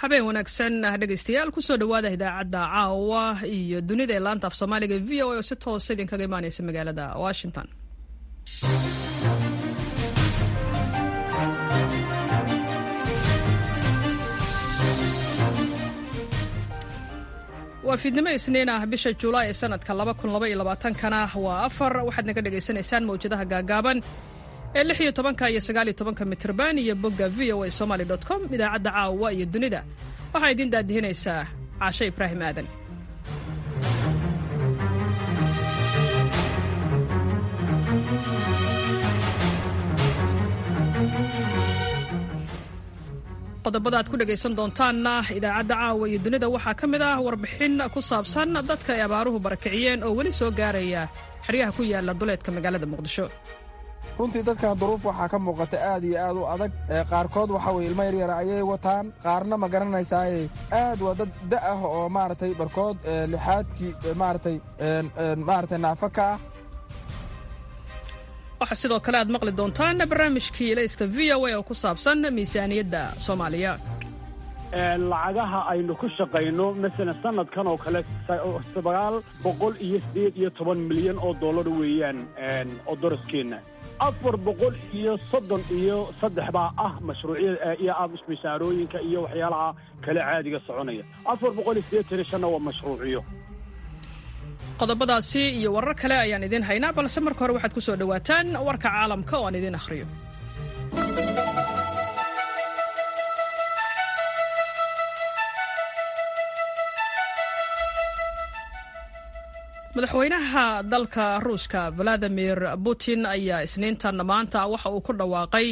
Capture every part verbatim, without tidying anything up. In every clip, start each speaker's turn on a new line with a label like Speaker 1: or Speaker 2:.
Speaker 1: Habeen wanaagsan dhegaystayaal, kusoo dhawaada idaacadda caawa iyo dunida ee laanta af Soomaaliga V O A oo si toosa idinkaga imaaneysa magaalada Washington. Waa fiidnimo Isniin ah, bisha Juulaay ee sanadka kana waa afar. Waxaad naga dhagaysanaysaan mawjadaha gaagaaban ee lix iyo tobanka iyo sagaal iyo tobanka mitrban iyo bogga V O A somaly dot com. Idaacadda caawa iyo dunida waxaa idiin daadihinaysaa Caashe Ibraahim Aadan. Qodobada aad ku dhegaysan doontaanna idaacadda caawa iyo dunida waxaa ka mid ah warbixin ku saabsan dadka ay abaaruhu barakiciyeen oo weli soo gaaraya xeryaha ku yaala duleedka magaalada Muqdisho.
Speaker 2: Runtii dadkan duruuf waxaa ka muuqata aad iyo aad u adag. Qaarkood waxa weye ilmo yaryara ayay wataan, qaarna ma garanaysaaye aad waa dad da ah oo maaragtay barkood lixaadkii maaratay maaragtay naafa ka ah.
Speaker 1: Waxaa sidoo kale aad maqli doontaan barnaamijkii Ilayska V O A oo ku saabsan miisaaniyadda Soomaaliya.
Speaker 3: Lacagaha aynu ku shaqayno masalan sanadkan oo kale sagaal boqol iyo sideed iyo toban milyan oo dollar weeyaan oo daraskeenna afar boqol iyo soddon iyo saddex baa ah mashruucyada iyo mishaarooyinka iyo waxyaalaha kale caadiga soconaya. Afar boqol iyo siddeetan iyo shanna waa mashruuciyo.
Speaker 1: Qodobadaasi iyo warar kale ayaan idiin haynaa, balse marka hore waxaad ku soo dhowaataan warka caalamka oo aan idiin akhriyo. Madaxweynaha dalka Ruushka Valadimir Putin ayaa Isniintan maanta waxa uu ku dhawaaqay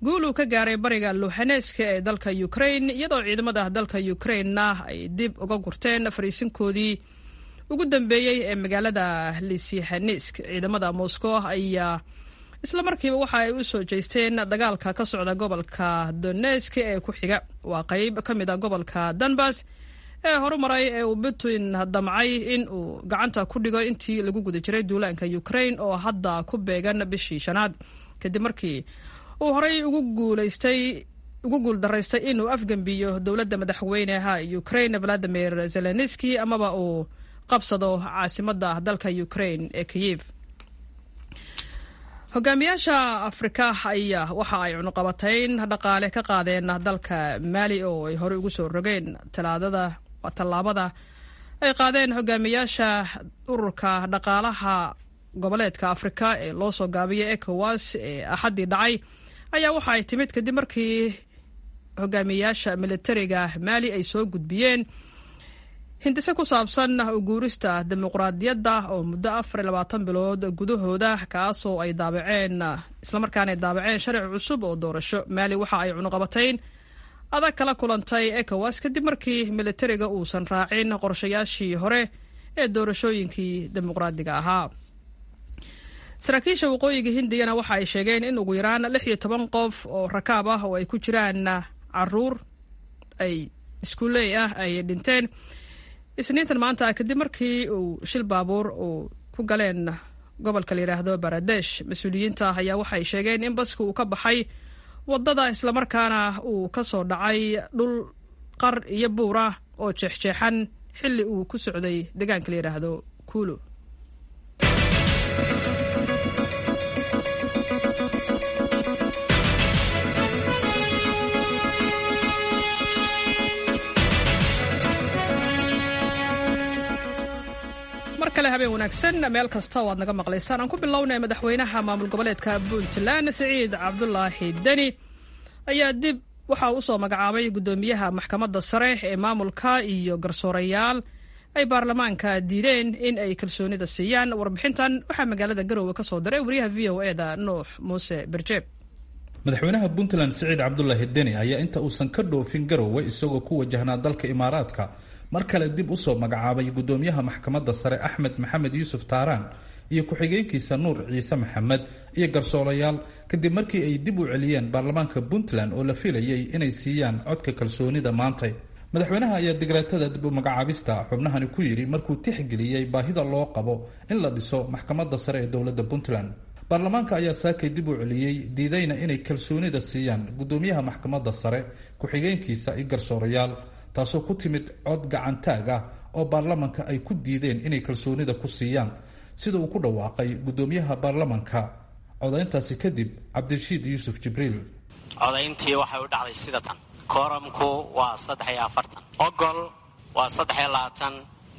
Speaker 1: guul uu ka gaaray bariga Luhaneska ee dalka Ukraine, iyadoo ciidamada dalka Ukraine-na ay dib uga gurteen fariisinkoodii ugu dambeeyey ee magaalada Lisihanesk. Ciidamada Moscow ayaa isla markiiba waxa ay u soo jeesteen dagaalka ka socda gobolka Donetsk ee ku xiga, waa qayb ka mid a gobolka Donbas ee horumaray ee uu Putin damcay in uu gacanta ku dhigo intii lagu guda jiray duulaanka Ukraine oo hadda ku beegan bishii shanaad, kadib markii uu horey ugu guulaystay ugu guuldaraystay inuu afgembiyo dowladda madaxweynaha Ukraine Vladimir Zelenski amaba uu qabsado caasimadda dalka Ukraine ee Kyiv. Hogaamiyaasha Afrika ayaa waxa ay cunuqabatayn dhaqaale ka qaadeen dalka Maali oo ay horey ugu soo rogeen. Talaadada tallaabada ay qaadeen hogaamiyaasha ururka dhaqaalaha goboleedka Afrika ee loo soo gaabiyay ECOWAS ee Axaddii dhacay ayaa waxa ay timid kadib markii hogaamiyaasha militariga Maali ay soo gudbiyeen hindise ku saabsan uguurista dimuqraadiyadda oo muddo afar iyo labaatan bilood gudahooda, kaasoo ay daabaceen islamarkaana ay daabaceen sharci cusub oo doorasho. Maali waxa ay cunuqabatayn adag kala kulantay ECOWAS kadib markii militariga uusan raacin qorshayaashii hore ee doorashooyinkii dimuqraadiga ahaa. Saraakiisha waqooyiga Hindiyana waxa ay sheegeen in ugu yaraan lix iyo toban qof oo rakaab ah oo ay ku jiraan caruur ay iskuuley ah ay dhinteen Isniintan maanta kadib markii uu shil baabuur uu ku galeen gobolka la yidhaahdo Baradesh. Mas-uuliyiinta ayaa waxay sheegeen in baska uu ka baxay wadada islamarkaana uu ka soo dhacay dhul qar iyo buur ah oo jeexjeexan xilli uu ku socday deegaanka la yidhaahdo Kuulu. Mar kale habeen wanaagsan meel kasta oo aad naga maqlaysaan. Aan ku bilownay madaxweynaha maamul goboleedka Puntland Siciid Cabdulaahi Deni ayaa dib waxa uu usoo magacaabay guddoomiyaha maxkamadda sare ee maamulka iyo garsoorayaal ay baarlamaanka diideen in ay kalsoonida siiyaan. Warbixintan waxaa magaalada Garowe ka soo diray wariyaha V O E da Nuux Muuse Berjeeb.
Speaker 4: Madaxweynaha Puntland Siciid Cabdulaahi Deni ayaa inta uusan ka dhoofin Garowe isagoo ku wajahnaa dalka Imaaraadka mar kale dib u soo magacaabay guddoomiyaha maxkamadda sare Axmed Maxamed Yuusuf Taaraan iyo ku-xigeenkiisa Nuur Ciise Maxamed iyo garsoorayaal kadib markii ay dib u celiyeen baarlamaanka Puntland oo la filayay inay siiyaan codka kalsoonida maantay. Madaxweynaha ayaa digreetada dib u magacaabista xubnahani ku yidhi markuu tixgeliyey baahida loo qabo in la dhiso maxkamadda sare ee dowladda Puntland. Baarlamaanka ayaa saakay dib u celiyey, diidayna inay kalsoonida siiyaan guddoomiyaha maxkamadda sare, ku-xigeenkiisa iyo garsoorayaal, taasoo ku timid cod gacantaag ah oo baarlamanka ay ku diideen inay kalsoonida ku siiyaan, sida uu ku dhawaaqay guddoomiyaha baarlamanka codayntaasi kadib, Cabdirashiid Yuusuf Jibriil.
Speaker 5: Codayntii waxay u dhacday sida tan: kooramku waa saddex iyo afartan, ogol waa saddex iyo labaatan,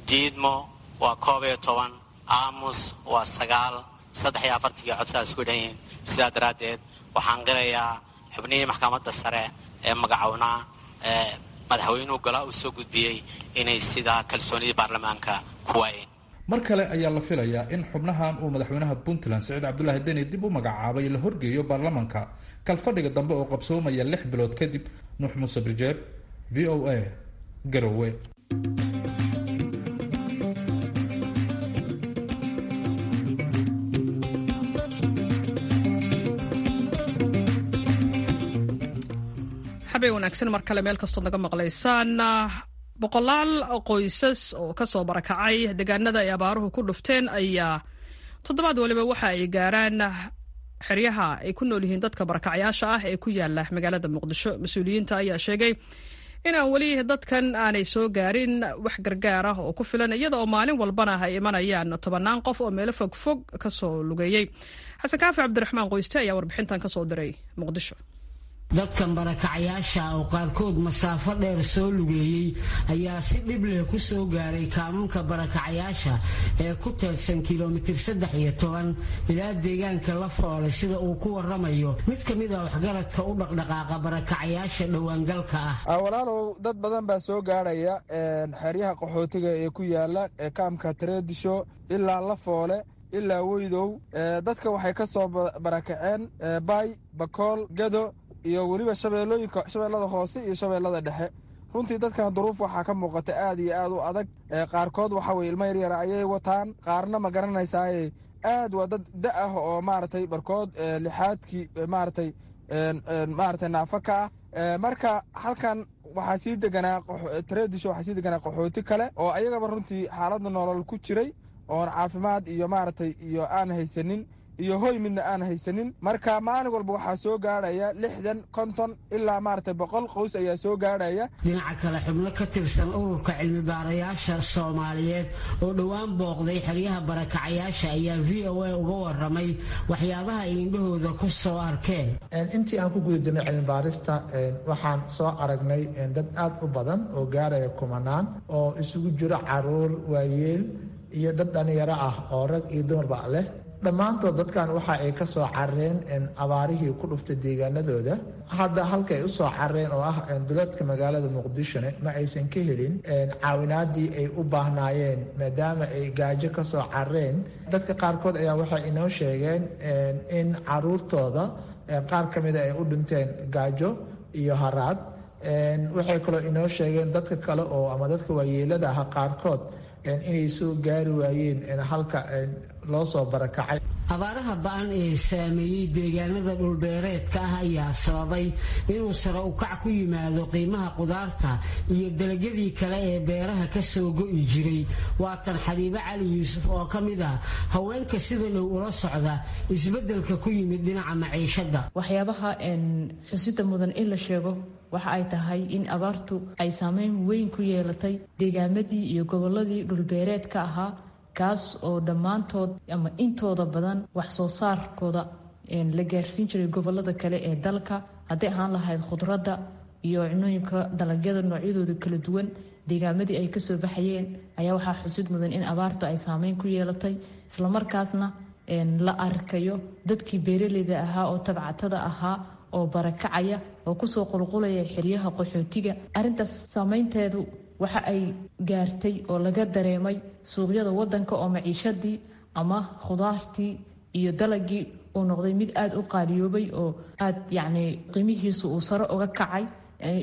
Speaker 5: diidmo waa koob iyo toban, aamus waa sagaal. Saddex iyo afartankii cod sidaas ku dhan yihiin. Sidaa daraaddeed waxaan qirayaa xubnihii maxkamadda sare ee magacownaa ee madaxweynuhu golaa uu soo gudbiyey inay sidaa kalsoonidii baarlamaanka ku waayeen.
Speaker 4: Mar kale ayaa la filayaa in xubnahan uu madaxweynaha Puntland Siciid Cabdulaahi Deni dib u magacaabay la horgeeyo baarlamanka kalfadhiga dambe oo qabsoomaya lix bilood kadib. Nuux Muuse Birjeeb, V O A, Garowe.
Speaker 1: Xabay wanaagsan mar kale meel kastood naga maqlaysaan. Boqolaal qoysas oo kasoo barakacay deegaanada ay abaaruhu ku dhufteen ayaa toddobaad waliba waxa ay gaaraan xeryaha ay ku nool yihiin dadka barakacyaasha ah ee ku yaala magaalada Muqdisho. Mas-uuliyiinta ayaa sheegay in aan weli dadkan aanay soo gaarin wax gargaar ah oo ku filan, iyada oo maalin walbana ay imanayaan tobannaan qof oo meelo fogfog kasoo lugeeyey. Xasan Kaafi Cabdiraxmaan Qoyste ayaa warbixintan kasoo diray Muqdisho.
Speaker 6: Dadkan barakacayaasha oo qaarkood masaafo dheer soo lugeeyey ayaa si dhib leh ku soo gaaray kaamunka barakacayaasha ee ku teedsan kilomitir saddex iyo toban ilaa deegaanka la foolay, sida uu ku waramayo mid ka mid a waxgaradka u dhaqdhaqaaqa barakacayaasha dhowaangalka
Speaker 2: ah. Walaalow, dad badan baa soo gaarhaya xeryaha qaxootiga ee ku yaala kaamka Tareedisho ilaa La Foole ilaa Weydow. Dadka waxay ka soo barakaceen Baay, Bakool, Gado iyo weliba shabeellooyinka, Shabeellada Hoose iyo Shabeellada Dhexe. Runtii dadkan duruuf waxaa ka muuqata aad iyo aad u adag. Qaarkood waxa weye ilmo yaryara ayay wataan, qaarna ma garanaysaaye aad waa dad da ah oo maaragtay barkood lixaadkii maaragtay maaragtay naafo ka ah. Marka halkan waxaa sii deganaa Tareedisho, waxaa sii deganaa qaxooti kale oo ayagaba runtii xaaladda nolol ku jiray oon caafimaad iyo maaragtay iyo aan haysanin iyo hoy midna aan haysanin. Marka maalin walba waxaa soo gaadhaya lixdan, konton ilaa maaragtay boqol qoys ayaa soo gaadhaya.
Speaker 6: Dhinaca kale, xubno ka tirsan ururka cilmi baarayaasha Soomaaliyeed oo dhowaan booqday xeryaha barakacayaasha ayaa V O A uga waramay waxyaabaha ay indhahooda ku soo arkeen.
Speaker 7: Intii aan ku guda jirnay cilmi baarista, waxaan soo aragnay dad aad u badan oo gaaraya kumanaan, oo isugu jiro caruur, waayeel iyo dad dhalinyaro ah oo rag iyo dumarba leh. Dhammaantood dadkan waxa ay ka soo carareen abaarihii ku dhuftay deegaanadooda. Hadda halka ay usoo carareen oo ah duleedka magaalada Muqdishona ma aysan ka helin caawinaadii ay u baahnaayeen, maadaama ay gaajo ka soo carareen. Dadka qaarkood ayaa waxay inoo sheegeen in caruurtooda qaar ka mida ay u dhinteen gaajo iyo haraad. Waxay kaloo inoo sheegeen dadka kale oo ama dadka waayeelada ah qaarkood inay soo gaari waayeen halka loo soo barakacay.
Speaker 6: Abaaraha ba-an ee saameeyey deegaanada dhulbeereedka ah ayaa sababay inuu sare ukac ku yimaado qiimaha qudaarta iyo dalagyadii kale ee beeraha ka soo go'i jiray. Waatan Xabiibo Cali Yuusuf oo ka mid ah haweenka sida dhow ula socda isbeddelka ku yimid dhinaca maciishadda.
Speaker 8: Waxyaabaha xusida mudan in la sheego waxa ay tahay in abaartu ay saameyn weyn ku yeelatay deegaamadii iyo gobolladii dhulbeereedka ahaa, kaas oo dhammaantood ama intooda badan wax soo saarkooda la gaarsiin jiray gobolada kale ee dalka, hadday ahaan lahayd khudradda iyo cunooyinka dalagyada noocyadooda kala duwan. Deegaamadii ay kasoo baxayeen ayaa waxaa xusid mudan in abaartu ay saameyn ku yeelatay, islamarkaasna la arkayo dadkii beeraleyda ahaa oo tabcatada ahaa oo barakacaya oo kusoo qulqulaya xeryaha qaxootiga. Arrintaas saameynteedu waxa ay gaartay oo laga dareemay suuqyada wadanka, oo maciishadii ama khudaartii iyo dalagii uu noqday mid aada u qaaliyoobay oo aada yacni qiimihiisu uu sare uga kacay,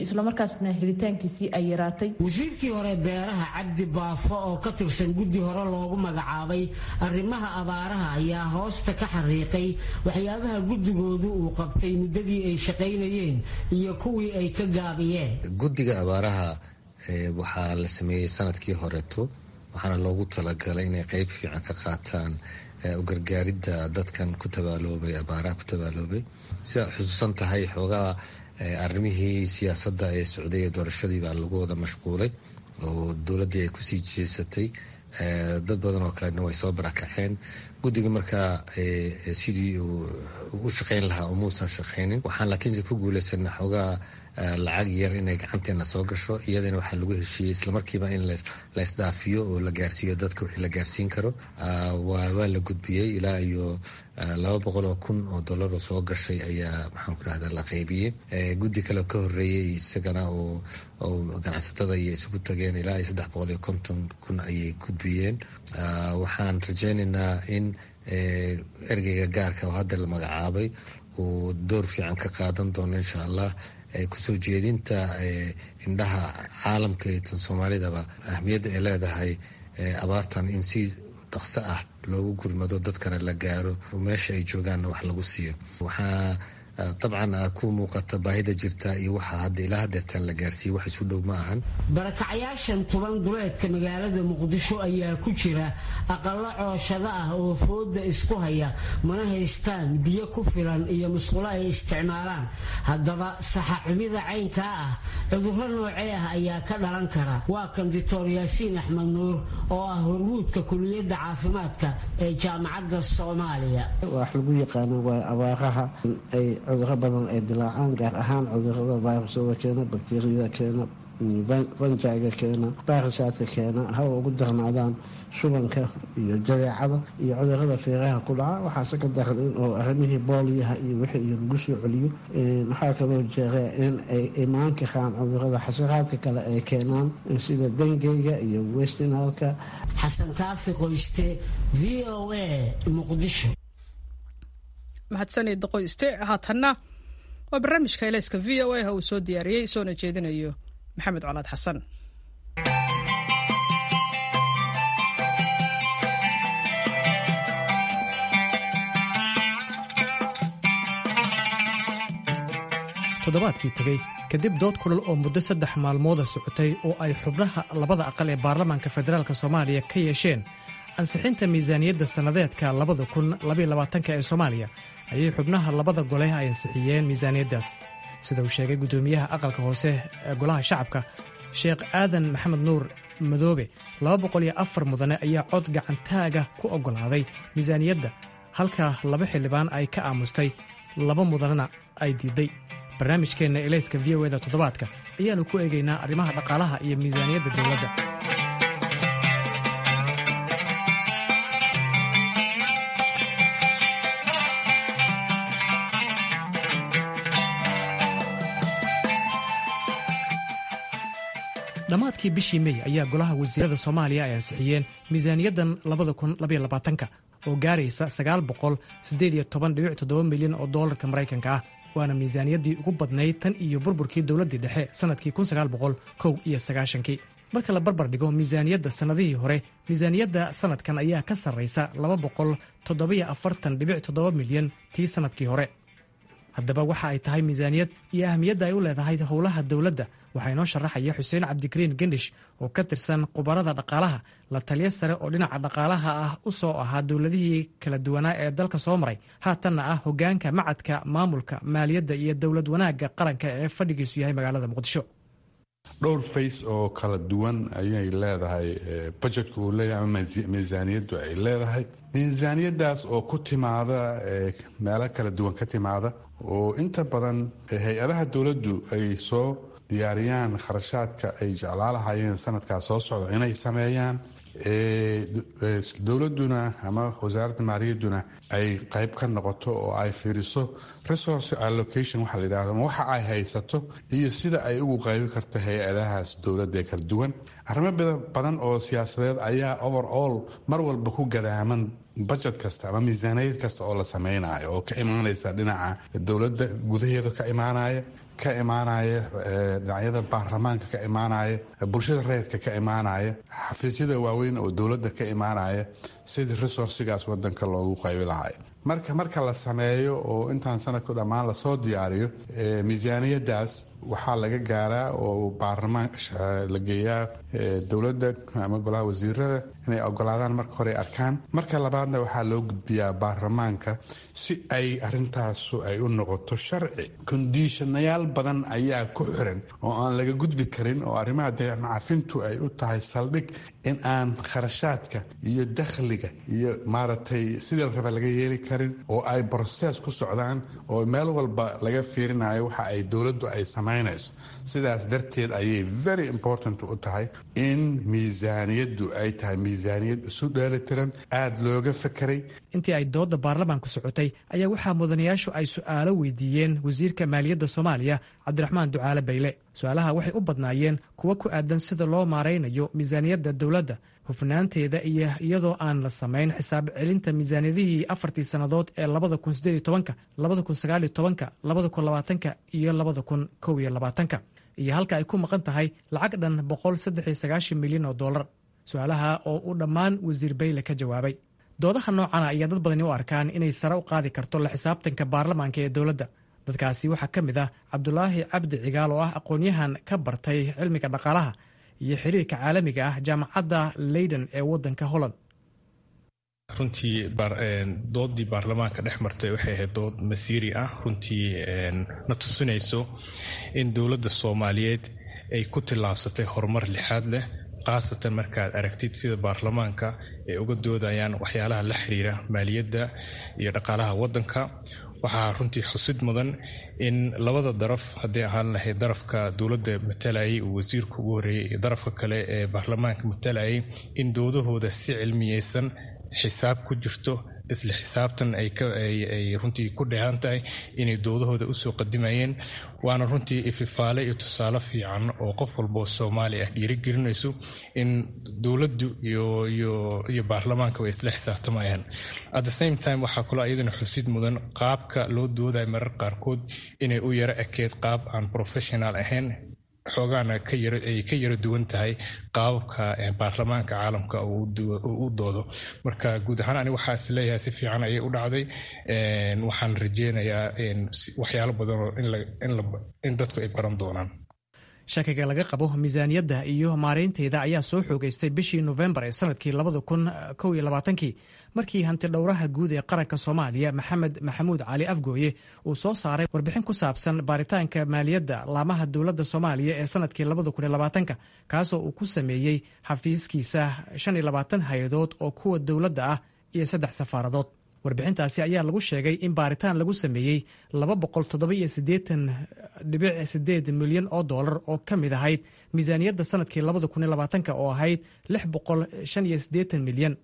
Speaker 8: islamarkaasna helitaankiisii ay yaraatay.
Speaker 6: Wasiirkii hore beeraha Cabdi Baafo oo ka tirsan guddi hore loogu magacaabay arrimaha abaaraha ayaa hoosta ka xariiqay waxyaabaha guddigoodu uu qabtay muddadii ay shaqaynayeen iyo kuwii ay ka gaabiyeen.
Speaker 9: Guddiga abaaraha waxaa la sameeyey sanadkii horeeto. Waxaana loogu talagalay inay qeyb fiican ka qaataan u gargaaridda dadkan ku tabaaloobay abaaraha ku tabaaloobay. Sidaad xusuusan tahay, xoogaa arrimihii siyaasadda ee socday ee doorashadii baa lagu wada mashquulay oo dowladdii ay kusii jeesatay. Dad badan oo kalena way soo barakaceen. Guddiga markaa sidii uu u shaqeyn lahaa umuusan shaqeynin. Waxaan laakiinse ku guuleysana xoogaa lacag yar inay gacanteena soo gasho. Iyadana waxaa lagu heshiiyey islamarkiiba in la isdhaafiyo oo la gaarsiiyo dadka wixii la gaarsiin karo. Waa la gudbiyey, ilaa iyo laba boqol oo kun oo dollar oo soo gashay ayaa, maxaan ku rahda, la qaybiyey. Guddi kale ka horeeyey isagana oo ganacsatada iyo isugu tageen, ilaa iyo saddex boqol iyo konton kun ayay gudbiyeen. Waxaan rajeynaynaa in ergeyga gaarka oo hadda la magacaabay uu door fiican ka qaadan doono, insha Allah, kusoo jeedinta indhaha caalamka iyo tan Soomaalidaba ahmiyadda ay leedahay abaartan in si dhaqso ah loogu gurmado, dadkana la gaaro, meesha ay joogaanna wax lagu siiyo. Waxaa dabcan ku muuqata baahida jirta iyo waxaa hadda ilaa hadeertaan la gaarsiiye wax isu dhow ma ahan.
Speaker 6: Barakacyaashan tuban duleedka magaalada Muqdisho ayaa ku jira aqallo cooshado ah oo fooda isku haya, mana haystaan biyo ku filan iyo musqulo ay isticmaalaan. Haddaba saxa xumida caynkaa ah cudurro noocee ah ayaa ka dhalan kara? Waa kan Doctor Yaasiin Axmed Nuur oo ah hormuudka kuliyadda caafimaadka ee Jaamacadda Soomaaliya.
Speaker 10: Wax lagu yaqaano waa abaaraha ay cuduro badan ay dilaacaan, gaar ahaan cudurada virusyada keena, bakteriyada keena, fungiga keena, virusaadka keena, hawa ugu darnaadaan shubanka iyo jadeecada iyo cudurada feeraha ku dhaca. Waxaase ka daran in oo arrimihii booliyaha iyo wixii iyo lagu soo celiyo. Waxaa kaloo jeera in ay imaan karaan cudurada xasharaadka kale ay keenaan sida dengeyga iyo westinalka.
Speaker 6: Xasan Kaafi Qoyste, V O A, Muqdisho.
Speaker 1: Mahadsanid Qoyste. Haatanna waa barnaamijka Elayska V O A uu soo diyaariyey soona jeedinayo Maxamed Colaad Xasan.
Speaker 11: Toddobaadkii tegey, kadib dood kulal oo muddo saddex maalmooda socotay oo ay xubnaha labada aqal ee baarlamaanka federaalk Soomaaliya ka yeesheen ansixinta miisaaniyadda sannadeedka labada kun labaiyo labaatanka ee Soomaaliya, ayay xubnaha labada gole ay ansixiyeen miisaaniyaddaas, sida uu sheegay guddoomiyaha aqalka hoose ee Golaha Shacabka, Sheekh Aadan Maxamed Nuur Madoobe. Laba boqol iyo afar mudane ayaa cod gacantaaga ku oggolaaday miisaaniyadda, halka laba xildhibaan ay ka aamustay, laba mudanena ay diidday. Barnaamijkeenna Elayska V O eda toddobaadka ayaannu ku eegaynaa arrimaha dhaqaalaha iyo miisaaniyadda dowladda. Dhammaadkii bishii Mey ayaa golaha wasiirada Soomaaliya ay ansixiyeen miisaaniyaddan labada kun labaiyo labaatanka oo gaaraysa sagaal boqol siddeed iyo toban dhibic toddoba milyan oo doolarka Maraykanka ah, waana miisaaniyaddii ugu badnayd tan iyo burburkii dowladdii dhexe sannadkii kun sagaal boqol kow iyo sagaashankii. Marka la barbar dhigo miisaaniyadda sannadihii hore, miisaaniyadda sannadkan ayaa ka sarraysa laba boqol toddobiyo afartan dhibic toddoba milyan tii sannadkii hore. Haddaba waxa ay tahay miisaaniyad iyo ahmiyadda ay u leedahay howlaha dowladda waxaa inoo sharaxaya Xuseen Cabdikariin Gendhish oo ka tirsan khubarada dhaqaalaha, la taliyo sare oo dhinaca dhaqaalaha ah u soo ahaa dowladihii kala duwanaa ee dalka soo maray, haatanna ah hoggaanka Macadka Maamulka Maaliyadda iyo Dowlad Wanaagga Qaranka ee fadhigiisu yahay magaalada Muqdisho.
Speaker 12: Dhowr face oo kala duwan ayay leedahay budgetka uu leeyahay ama miisaaniyaddu ay leedahay. Miisaaniyaddaas oo ku timaada meelo kala duwan ka timaada, oo inta badan hay-adaha dowladdu ay soo diyaariyaan kharashaadka ay jeclaalahayeen sanadkaa soo socda inay sameeyaan, dowladuna ama wasaaradda maaliyadduna ay qayb ka noqoto oo ay fiiriso resource allocation waxa la yidhahdo, ama waxa ay haysato iyo sida ay ugu qaybi karto hay-adahaas dowladda ee kala duwan. Arrimo badan oo siyaasadeed ayaa overall mar walba ku gadaaman budget kasta ama miisaaniyad kasta oo la sameynayo, oo ka imaanaysa dhinaca dowladda gudaheeda, ka imaanaya ka imaanaya dhinacyada baarlamaanka, ka imaanaya bulshada rayidka, ka imaanaya xafiisyada waaweyn oo dowladda ka imaanaya. sidii resourcigaas wadanka loogu qaybi lahay. Marka marka la sameeyo oo intaan sanadku dhammaan lasoo diyaariyo miisaaniyadaas, waxaa laga gaaraa oo baarlamaan la geeyaa dowladda ama golaha wasiirada inay ogolaadaan marka hore arkaan. Marka labaadna waxaa loo gudbiyaa baarlamaanka si ay arintaasu ay u noqoto sharci. Conditionayaal badan ayaa ku xiran oo aan laga gudbi karin, oo arrimaha deecafintu ay u tahay saldhig in aan kharashaadka iyo dakhliga iyo maaragtay sidii la raba laga yeeli karin, oo ay process ku socdaan oo meel walba laga fiirinayo waxa ay dowladdu ay samaynayso. Sidaas darteed ayay very important u tahay in miisaaniyaddu ay tahay miisaaniyad isu dheelitiran, aada looga fekeray.
Speaker 11: Intii ay doodda baarlamaanku socotay ayaa waxaa mudanayaashu ay su'aalo weydiiyeen wasiirka maaliyadda Soomaaliya, Cabdiraxmaan Ducaale Bayle. Su-aalaha waxay u badnaayeen kuwo ku aadan sida loo maaraynayo miisaaniyadda dowladda, hufnaanteeda, iyo iyadoo aan la samayn xisaab celinta miisaaniyadihii afartii sannadood ee labada kun sideed iyo tobanka, labada kun sagaal iyo tobanka, labada kun labaatanka iyo labada kun kow iyo labaatanka, iyo halka ay ku maqan tahay lacag dhan boqol saddex iyo sagaashan milyan oo dollar. Su-aalaha oo uu dhammaan wasiir Bayle ka jawaabay. Doodaha noocana ayaa dad badani u arkaan inay sare u qaadi karto la xisaabtanka baarlamaanka ee dowladda. Dadkaasi waxaa ka mid ah Cabdulaahi Cabdi Cigaal, oo ah aqoon-yahan ka bartay cilmiga dhaqaalaha iyo xiriirka caalamiga ah jaamacadda Leyden ee waddanka Holland.
Speaker 13: Runtii doodii baarlamaanka dhex martay waxay ahayd dood masiiri ah, runtii na tusinayso in dowladda Soomaaliyeed ay ku tillaabsatay horumar lixaad leh, khaasatan markaad aragtid sida baarlamaanka ay uga doodayaan waxyaalaha la xiriira maaliyadda iyo dhaqaalaha waddanka. Waxaa runtii xusid mudan in labada daraf, hadday ahaan lahayd darafka dowladda matalayay uu wasiirku ugu horreeyay iyo darafka kale ee baarlamaanka matalayay, in doodahooda si cilmiyeysan, xisaab ku jirto, isla xisaabtan ay runtii ku dheehan tahay inay doodahooda usoo qadimayeen. Waana runtii ififaale iyo tusaale fiican oo qof walboo Soomaali ah dhiirigelinayso in dowladdu iyo baarlamaanka way isla xisaabtamayaan. At the same time, waxaa kaloo iyadana xusid mudan qaabka loo doodayo marar qaarkood inay u yaro ekeed qaab aan professional ahayn, xoogaana ay ka yaro duwan tahay qaababka baarlamaanka caalamka uu u doodo. Marka guud ahaan ani waxaa is leeyahay si fiican ayay u dhacday. Waxaan rajeynayaa waxyaalo badanoo in dadku ay baran doonaan.
Speaker 11: Shakiga laga qabo miisaaniyadda iyo maareynteeda ayaa soo xoogeystay bishii Nofembar ee sanadkii labada kun kow iyo labaatankii, markii hanti dhowraha guud ee qaranka Soomaaliya, Maxamed Maxamuud Cali Afgooye, uu soo saaray warbixin ku saabsan baaritaanka maaliyadda laamaha dowladda Soomaaliya ee sanadkii labada kun iyo labaatanka, kaasoo uu ku sameeyey xafiiskiisa shan iyo labaatan hay-adood oo kuwa dowladda ah iyo saddex safaaradood. Warbixintaasi ayaa lagu sheegay in baaritaan lagu sameeyey laba boqol toddoba iyo siddeetan dhibic sideed milyan oo dollar oo ka mid ahayd miisaaniyadda sanadkii labada kun iyo labaatanka oo ahayd lix boqol shan iyo siddeetan milyan.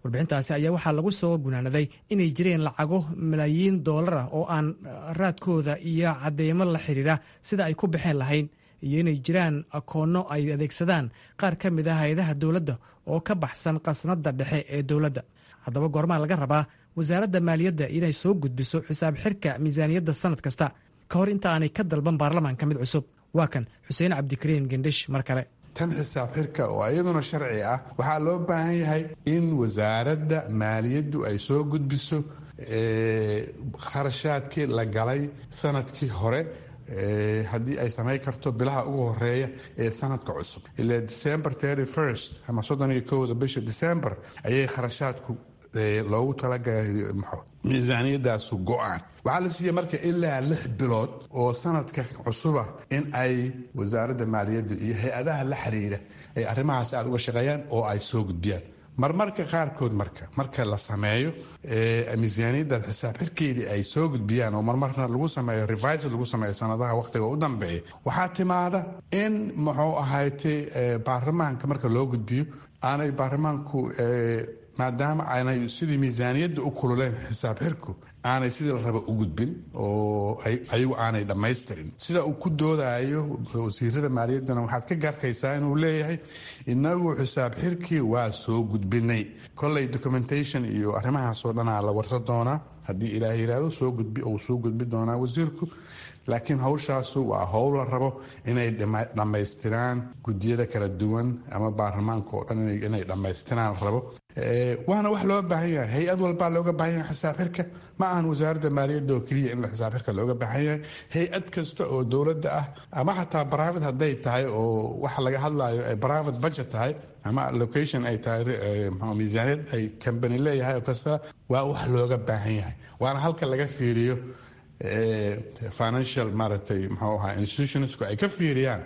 Speaker 11: Warbixintaasi ayaa waxaa lagu soo gunaanaday inay jireen lacago malaayiin dollar ah oo aan raadkooda iyo cadeymo la xiriira sida ay ku baxeen lahayn, iyo inay jiraan akoonno ay adeegsadaan qaar ka mid ah hay-adaha dowladda oo ka baxsan qasnadda dhexe ee dowladda. Haddaba, goormaa laga rabaa wasaaradda maaliyadda inay soo gudbiso xisaab xirka miisaaniyadda sanad kasta ka hor inta aanay ka dalban baarlamaanka mid cusub? Waa kan Xuseen Cabdikariin Gendhish mar kale.
Speaker 12: Tan xisaab xirka oo iyaduna sharci ah, waxaa loo baahan yahay in wasaaradda maaliyaddu ay soo gudbiso kharashaadkii la galay sanadkii hore, haddii ay samayn karto bilaha ugu horeeya ee sanadka cusub. Ilaa December thirty first ama soddon iyo kowda bisha December ayay kharashaadku loogu talagalay miisaaniyadaasu go-aan. Waxaa la siiyey marka ilaa lix bilood oo sanadka cusuba in ay wasaaradda maaliyadda iyo hay-adaha la xiriira ay arrimahaas aada uga shaqeeyaan oo ay soo gudbiyaan. Marmarka qaarkood marka marka la sameeyo miisaaniyaddaas xisaab xirkeedii ay soo gudbiyaan, oo marmarna lagu sameeyo revise, lagu sameeyo sanadaha waqtiga u dambeeya, waxaa timaada in muxuu ahaytay baarlamaanka marka loo gudbiyo aanay baarlamaanku, maadaama aanay sidii miisaaniyadda u kululeen xisaab xirku, aanay sidii la raba u gudbin oo ayagu aanay dhammaystirin. Sida uu ku doodayo wasiirada maaliyaddana waxaad ka garkaysaa inuu leeyahay inagu xisaab xirkii waa soo gudbinay. Kolley documentation iyo arrimahaasoo dhanaa la warsan doonaa haddii Ilaah yiraahdo, soo gudbi uu soo gudbi doonaa wasiirku. Laakiin hawshaasu waa howl la rabo inay dhammaystiraan guddiyada kala duwan ama baarlamaanka oo dhan inay dhammaystiraan la rabo, waana wax loo baahan yahay. Hay-ad walbaa looga baahan yahay xisaab xirka. Ma ahan wasaaradda maaliyadda oo keliya in la xisaab xirka looga baahan yahay. Hay-ad kasta oo dowladda ah ama xataa private hadday tahay, oo waxa laga hadlayo ay private budget tahay ama allocation ay tahay, miisaaniyad ay company leeyahay oo kasta, waa wax looga baahan yahay, waana halka laga fiiriyo financial, maaragtay, muxuu ahaa, institutionsku ay ka fiiriyaan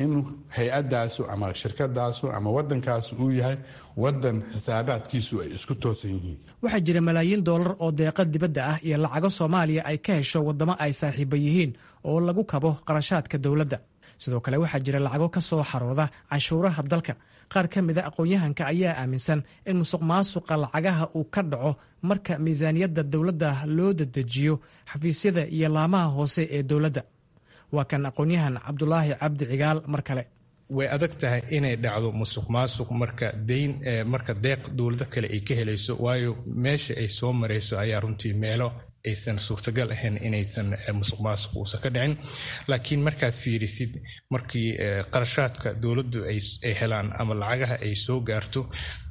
Speaker 12: in hay-adaasu ama shirkadaasu ama wadankaasu uu yahay wadan xisaabaadkiisu ay isku toosan yihiin.
Speaker 11: Waxaa jira malaayiin doolar oo deeqa dibadda ah iyo lacago Soomaaliya ay ka hesho waddamo ay saaxiiba yihiin oo lagu kabo qarashaadka dowladda. Sidoo kale waxaa jira lacago ka soo xarooda canshuuraha dalka. Qaar ka mid a aqoon-yahanka ayaa aaminsan in musuq maasuqa lacagaha uu ka dhaco marka miisaaniyadda dowladda loo dedejiyo xafiisyada iyo laamaha hoose ee dowladda. Waa kan aqoon-yahan Cabdulaahi Cabdi Cigaal mar kale.
Speaker 13: Way adag tahay inay dhacdo musuq maasuq marka deyn, marka deeq dowlado kale ay ka helayso, waayo meesha ay soo marayso ayaa runtii meelo aysan suurtagal ahayn inaysan musuq maasuq uusan ka dhicin. Laakiin markaad fiirisid markii qarashaadka dowladdu ay helaan ama lacagaha ay soo gaarto,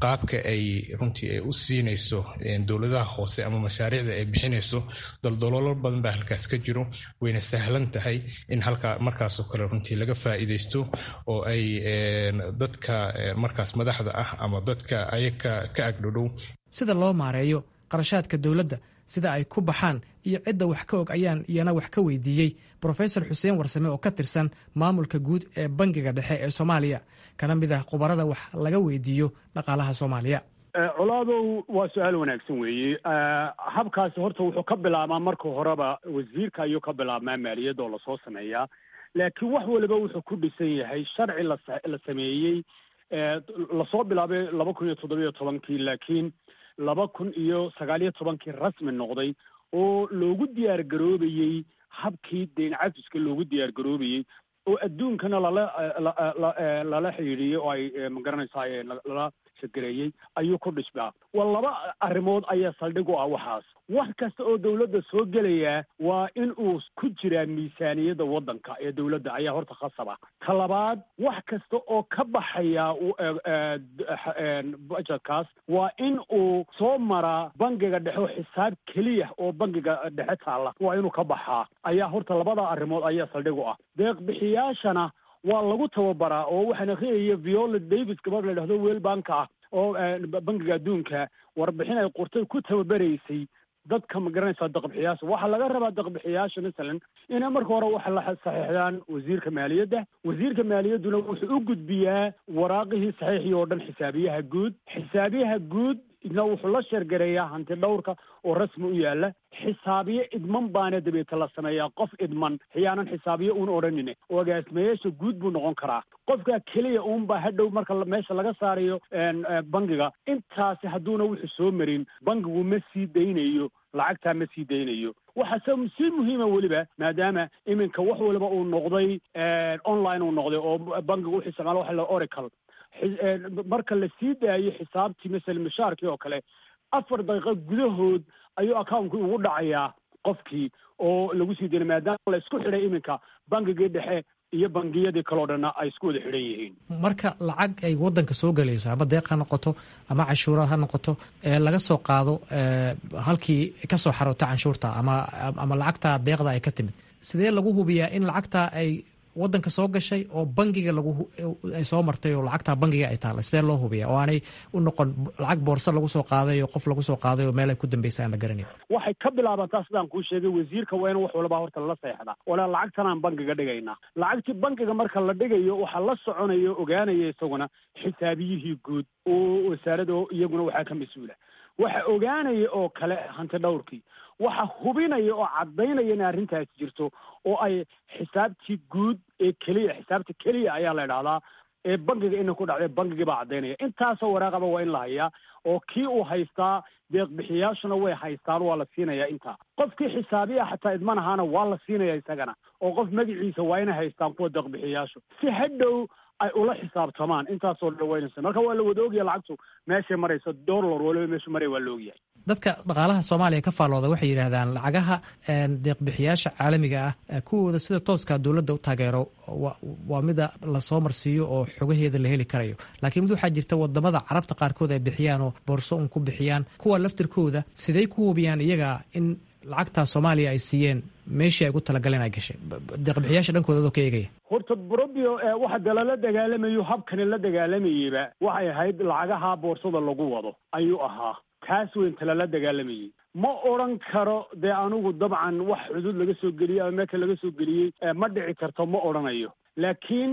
Speaker 13: qaabka ay runtii ay u siinayso dowladaha hoose ama mashaariicda ay bixinayso, daldaloolo badan baa halkaas ka jiro. Wayna sahlan tahay in halkaa markaasoo kale runtii laga faa'iidaysto oo ay dadka markaas madaxda ah ama dadka ayaga ka agdhodhow.
Speaker 11: Sida loo maareeyo qarashaadka dowladda, sida ay ku baxaan iyo cidda wax ka og ayaan iyana wax ka weydiiyey Brofesor Xuseen Warsame oo ka tirsan maamulka guud ee Bangiga Dhexe ee Soomaaliya, kana mid ah khubarada wax laga weydiiyo dhaqaalaha Soomaaliya.
Speaker 3: Colaadow, waa su-aal wanaagsan weeye. Habkaasi horta wuxuu ka bilaabmaa marka horeba wasiirka ayuu ka bilaabmaa maaliyadda oo lasoo sameeyaa, laakiin wax waliba wuxuu ku dhisan yahay sharci la sameeyey, lasoo bilaabay laba kun iyo toddobiyo tobankii, laakiin laba kun iyo sagaaliyo tobankii rasmi noqday, oo loogu diyaar garoobayey habkii deyn cafiska loogu diyaar garoobayey, oo adduunkana lala lala xidhiidhiyey oo ay magaranaysaa lala shagareeyey ayuu ku dhismaa. Waa laba arrimood ayaa saldhig u ah waxaas. Wax kasta oo dowladda soo gelayaa waa in uu ku jiraa miisaaniyadda waddanka ee dowladda ayaa horta khasaba. Ta labaad, wax kasta oo ka baxaya budgetkaas waa in uu soo maraa bangiga dhexe, oo xisaab keliya oo bangiga dhexe taalla waa inuu ka baxaa. Ayaa horta labada arrimood ayaa saldhig u ah. Deeq bixiyaashana waa lagu tababaraa, oo waxaan akhriyaya Viola Davis, gabadh la idhahdo World Banka ah oo Bangiga Adduunka, warbixin ay qortay ku tababaraysay dadka, ma garanaysaa, deeqbixiyaasha. Waxaa laga rabaa deeqbixiyaasha masalan inay marka hore waxa la saxiixdaan wasiirka maaliyadda. Wasiirka maaliyadduna wuxuu u gudbiyaa waraaqihii saxiixii oo dhan xisaabiyaha guud. Xisaabiyaha guud idna wuxuu la sheergareeyaa hanti dhowrka oo rasmi u yaala. Xisaabiye idman baana dabeeta la sameeyaa, qof idman xiyaanan xisaabiye uun odhanine, oo agaasimayaasha guud buu noqon karaa. Qofka keliya uunbaa hadhow marka meesha laga saarayo bangiga. Intaasi hadduuna wuxuu soo marin, bangigu ma sii daynayo lacagtaa, ma sii daynayo. Waxaa se si muhiima weliba, maadaama iminka wax waliba uu noqday online uu noqday, oo bangigu wuxuu isticmaala waxa la Oracle, marka la sii daayo xisaabtii, masala mishaarkii oo kale, afar daqiiqo gudahood ayuu accountkii ugu dhacayaa qofkii oo lagu sii daynay, maadaama la isku xidhay iminka bangigii dhexe iyo bangiyadii kaleo dhanna ay isku wada xidhan yihiin.
Speaker 11: Marka lacag ay waddanka soo gelayso, ama deeq ha noqoto ama canshuuraad ha noqoto, ee laga soo qaado halkii ka soo xaroota canshuurta ama ama lacagta deeqda ay ka timid, sidee lagu hubiyaa in lacagta ay waddanka soo gashay oo bangiga lagu ay soo martay oo lacagta bangiga ay taalla? Sidee loo hubiya oo aanay u noqon lacag boorso lagu soo qaaday oo qof lagu soo qaaday oo meel ay ku dambeysa aan la garanayn?
Speaker 3: Waxay ka bilaabantaa sidaan kuu sheegay, wasiirka waa in wax walba horta lala seexda walaa lacagtan aan bangiga dhigaynaa. Lacagtii bangiga marka la dhigayo, waxaa la soconaya, ogaanaya isaguna xisaabiyihii guud oo wasaarada, iyaguna waxaa ka mas-uula, waxa ogaanaya oo kale hanti dhowrkii, waxa hubinaya oo caddaynaya in arrintaasi jirto oo ay xisaabtii guud ee keliya, xisaabta keliya ayaa la idhahdaa ee bangiga ina ku dhacday, bangigii baa caddaynaya. Intaasoo waraaqaba waa in la hayaa oo kii uu haystaa, deeq bixiyaashuna way haystaan, waa la siinayaa intaa. Qofkii xisaabiya xataa idman ahaana waa la siinaya isagana, oo qof magaciisa waa inay haystaan kuwa deeq bixiyaashu si hadhow ay ula xisaabtamaan. Intaasoo dhan waynaysa. Marka waa la wada ogyahay lacagtu meeshay marayso, dollar waliba meeshu maraya waa la ogyahay.
Speaker 11: Dadka dhaqaalaha Soomaaliya ka faallooda waxay yidhaahdaan lacagaha deeqbixiyaasha caalamiga ah kuwooda sida tooska dowladda u taageero waa mida lasoo marsiiyo oo xogaheeda la heli karayo, laakiin mid waxaa jirta wadamada Carabta qaarkood ay bixiyaan oo boorso un ku bixiyaan. Kuwa laftirkooda sidey ku hubiyaan iyaga in lacagtaa Soomaaliya ay siiyeen meeshii ay ugu talagaleen ay gashay, deeqbixiyaasha dhankooda adoo ka eegaya?
Speaker 3: Horta brobio waxa dee lala dagaalamayo, habkani la dagaalamayeyba waxay ahayd lacagaha boorsada lagu wado ayuu ahaa. Taas weynta lala dagaalamayey. Ma odran karo dee anigu dabcan wax xuduud laga soo geliyey ama meelka laga soo geliyey ma dhici karto, ma odhanayo, laakiin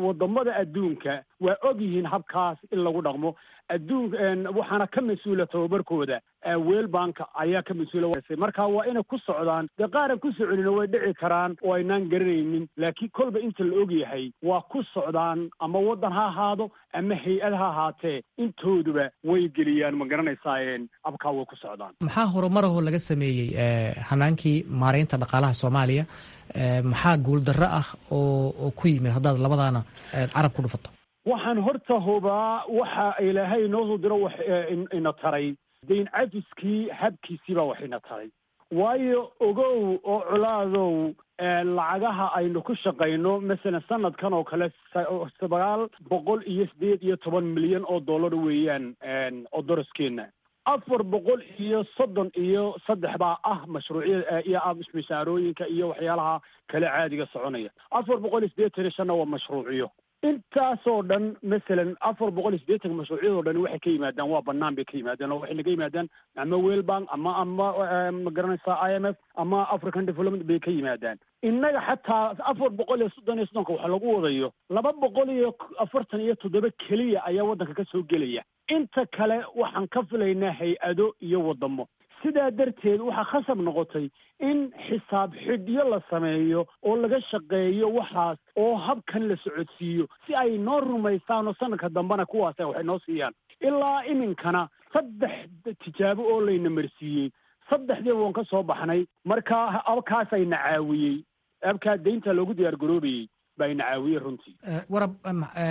Speaker 3: wadamada adduunka waa og yihiin habkaas in lagu dhaqmo adduun. Waxaana ka mas-uula tababarkooda World Bank ayaa ka mas-uula. Marka waa inay ku socdaan dee, qaaran ku soconina way dhici karaan oo aynaan garanaynin, laakiin kolba inta la og yahay waa ku socdaan, ama waddan ha ahaado ama hay-ad ha ahaatee, intooduba way geliyaan, ma garanaysaayen, abkaa way ku socdaan.
Speaker 11: Maxaa horumarahoo laga sameeyey hanaankii maareynta dhaqaalaha Soomaaliya? Maxaa guuldarro ah oo oo ku yimid haddaad labadaana carab ku dhufato?
Speaker 3: Waxaan horta hubaa waxa Ilaahay inoo soo diro wax ina taray, dayn cafiskii habkiisii baa wax ina taray. Waayo ogow oo colaadow, lacagaha aynu ku shaqayno, masalan sanadkan oo kale sagaal boqol iyo sideed iyo toban milyan oo dollar weeyaan oo doraskeena. Afar boqol iyo soddon iyo saddex baa ah mashruucyada iyo mishaarooyinka iyo waxyaalaha kale caadiga soconaya. Afar boqol iyo siddeetan iyo shanna waa mashruucyo. Intaasoo dhan, masalan afar boqol iyo siddeetanka mashruucyadoo dhan, waxay ka yimaadaan waa banaan bay ka yimaadaan, oo waxay naga yimaadaan ama World Bank ama ama ma garanaysaa I M F ama African Development bay ka yimaadaan. Innaga xataa afar boqol iyo soddon iyo soddonka waxa lagu wadayo, laba boqol iyo afartan iyo toddoba keliya ayaa waddanka ka soo gelaya. Inta kale waxaan ka filaynaa hay-ado iyo waddamo. Sidaa darteed waxaa khasab noqotay in xisaab xidhyo la sameeyo oo laga shaqeeyo waxaas oo habkan la socodsiiyo, si ay noo rumaysaan oo sanadka dambena kuwaas waxay noo siiyaan. Ilaa iminkana saddex tijaabo oo layna marsiiyey, saddexdiiba waan ka soo baxnay. Marka abkaasayna caawiyey, abkaa deynta loogu diyaar garoobayey baa ina caawiyey runtii.
Speaker 11: Warab,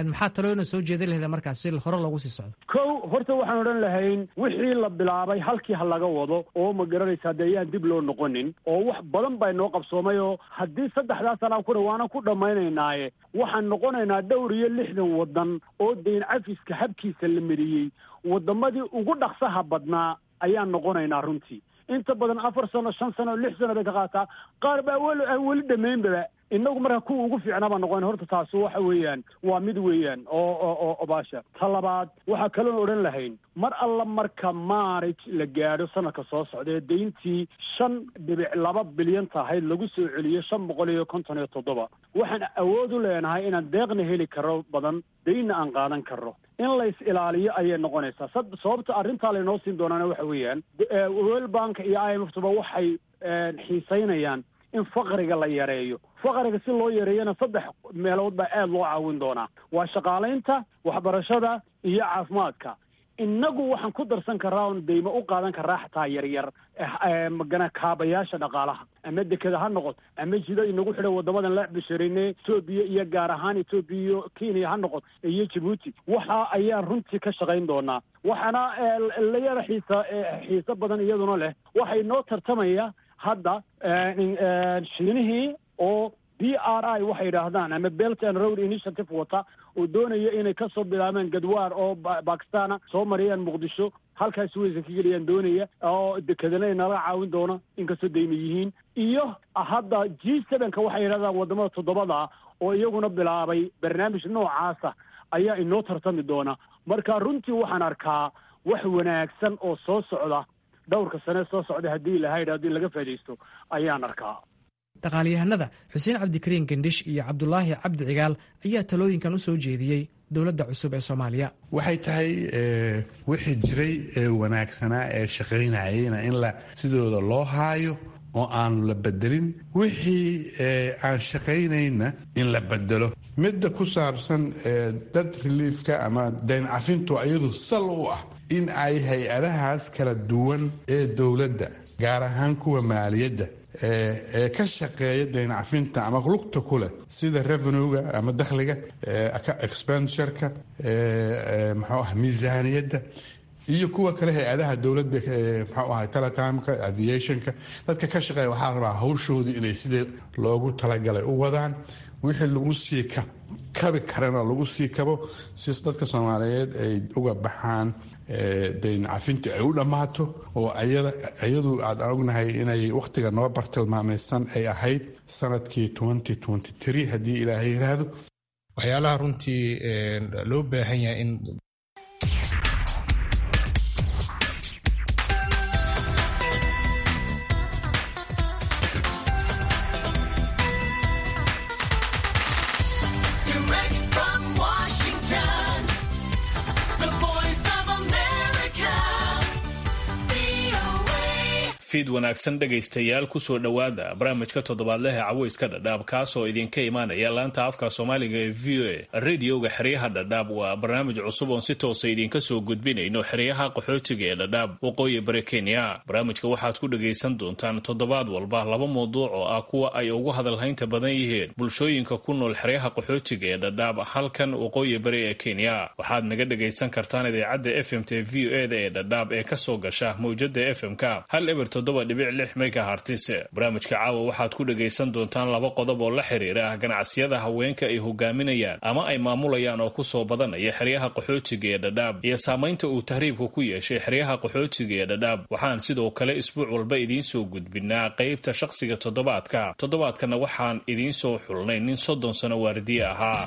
Speaker 11: maxaa talooyina soo jeedin lahayda markaas si hore loogu sii socdo?
Speaker 3: Kow, horta waxaan odhan lahayn wixii la bilaabay halkii ha laga wado, oo ma garanaysaa dee ayaan dib loo noqonin, oo wax badan baa inoo qabsoomay, oo haddii saddexdaa sanaan kuna waana ku dhammaynaynaaye, waxaan noqonaynaa dhowr iyo lixdan waddan oo dayn cafiska habkiisa la mariyey waddamadii ugu dhaqsaha badnaa ayaan noqonaynaa runtii. Inta badan afar sano, shan sano, lix sano bay ka qaataa, qaar baa weli aan weli dhammaynbaba. Innagu marka kuwa ugu fiicnaa baan noqon. Horta taasi waxa weeyaan waa mid weeyaan oo oo oo baasha. Ta labaad waxaa kaloon odhan lahayn, mar alla marka March la gaadho sanadka soo socda ee deyntii shan dhibic laba bilyan tahayd lagu soo celiyo shan boqol iyo konton iyo toddoba, waxaan awood u leenahay inaan deeqna heli karo badan, deynna aan qaadan karno. In lays ilaaliyo ayay noqonaysaa. Sababta arrintaa laynoo siin doonaana waxa weeyaan World Bank iyo I M F tuba waxay xiisaynayaan in faqriga la yareeyo. Faqriga si loo yareeyona saddex meelood baa aada loo caawin doonaa: waa shaqaalaynta, waxbarashada iyo caafimaadka. Innagu waxaan ku darsan karaa oon deymo u qaadan karaa xataa yaryar magana kaabayaasha dhaqaalaha, ama dekeda ha noqoto, ama jida inagu xidhan waddamadan la bisharine Etoobiya iyo gaar ahaan Etoobiya iyo Kenya ha noqoto iyo Jabuuti. Waxa ayaan runtii ka shaqayn doonaa. Waxaana la yara xiisa xiiso badan iyaduna leh, waxay noo tartamaya hadda Shiinihii oo B R I waxay yidhaahdaan ama Belt and Road Initiative wata, oo doonaya inay kasoo bilaabaan Gadwaar oo Bakistana, soo mariyaan Muqdisho, halkaas weysa ka geliyaan doonaya, oo dekedana nala caawin doona inkastoo dayma yihiin. Iyo hadda G sevenka waxay yidhahdaan, wadamada toddobada oo iyaguna bilaabay barnaamij noocaasa ayaa inoo tartami doona. Marka runtii waxaan arkaa wax wanaagsan oo soo socda dhowrka sane soo socda, haddii lahayd haddii laga faa'idaysto ayaan arkaa.
Speaker 11: Dhaqaalyahanada Xuseen Cabdikariin Gendhish iyo Cabdulaahi Cabdi Cigaal ayaa talooyinkan u soo jeediyey dowladda cusub ee Soomaaliya.
Speaker 12: Waxay tahay wixii jiray ee wanaagsanaa ee shaqaynayeyna in la sidooda loo haayo oo aan la bedelin, wixii aan shaqaynayna in la bedelo. Midda ku saabsan debt reliefka ama dayn cafintu, iyadu sal u ah in ay hay-adahaas kala duwan ee dowladda, gaar ahaan kuwa maaliyadda ee ka shaqeeya dayn cafinta ama lugta ku leh, sida revenuega ama dakhliga, expenditureka, muxuu ah, miisaaniyadda, Iyo kuwa kale hay-adaha dowladda, muxuu ahay, telecomka, aviationka, dadka ka shaqeeya, waxaa la rabaa hawshoodii inay sidii loogu talagalay u wadaan, wixii lagu sii kabi karana lagu sii kabo, si dadka Soomaaliyeed ay uga baxaan dayn cafinta ay u dhammaato, oo iyadu aad ognahay inay wakhtiga noo bartilmaamaysan ay ahayd sanadkii haddii Ilaahay yiraahdo.
Speaker 13: Waxyaalaha runtii loo baahan yahay in
Speaker 14: Direct from Washington, the Voice of America, V O A.
Speaker 15: Fiid wanaagsan, dhegaystayaal. Kusoo dhowaada barnaamijka toddobaadlehe Caweyska Dhadhaab, kaasoo idinka imaanaya laanta afka Soomaaliga ee V O A, radioga xeryaha Dhadhaab. Waa barnaamij cusub oon si toosa idinka soo gudbinayno xeryaha qaxootiga ee Dhadhaab, waqooyi bari Kenya. Barnaamijka waxaad ku dhegaysan doontaan toddobaad walba laba mawduuc oo ah kuwa ay ugu hadalhaynta badan yihiin bulshooyinka ku nool xeryaha qaxootiga ee Dhadhaab, halkan waqooyi bari ee Kenya. Waxaad naga dhegaysan kartaan idaacadda F M t V O da ee Dhadhaab ee kasoo gasha mawjada F M-ka hal eber toddoba dhibic lix megahertz. Barnaamijka caawa waxaad ku dhegaysan doontaan laba qodob oo la xiriira ganacsiyada haweenka ay hogaaminayaan ama ay maamulayaan oo kusoo badanaya xeryaha qaxootiga ee Dhadhaab, iyo saamaynta uu tahriibka ku yeeshay xeryaha qaxootiga ee Dhadhaab. Waxaan sidoo kale isbuuc walba idiin soo gudbinaa qaybta shaqsiga toddobaadka. Toddobaadkana waxaan idiin soo xulnay nin soddon sano waardiye ahaa.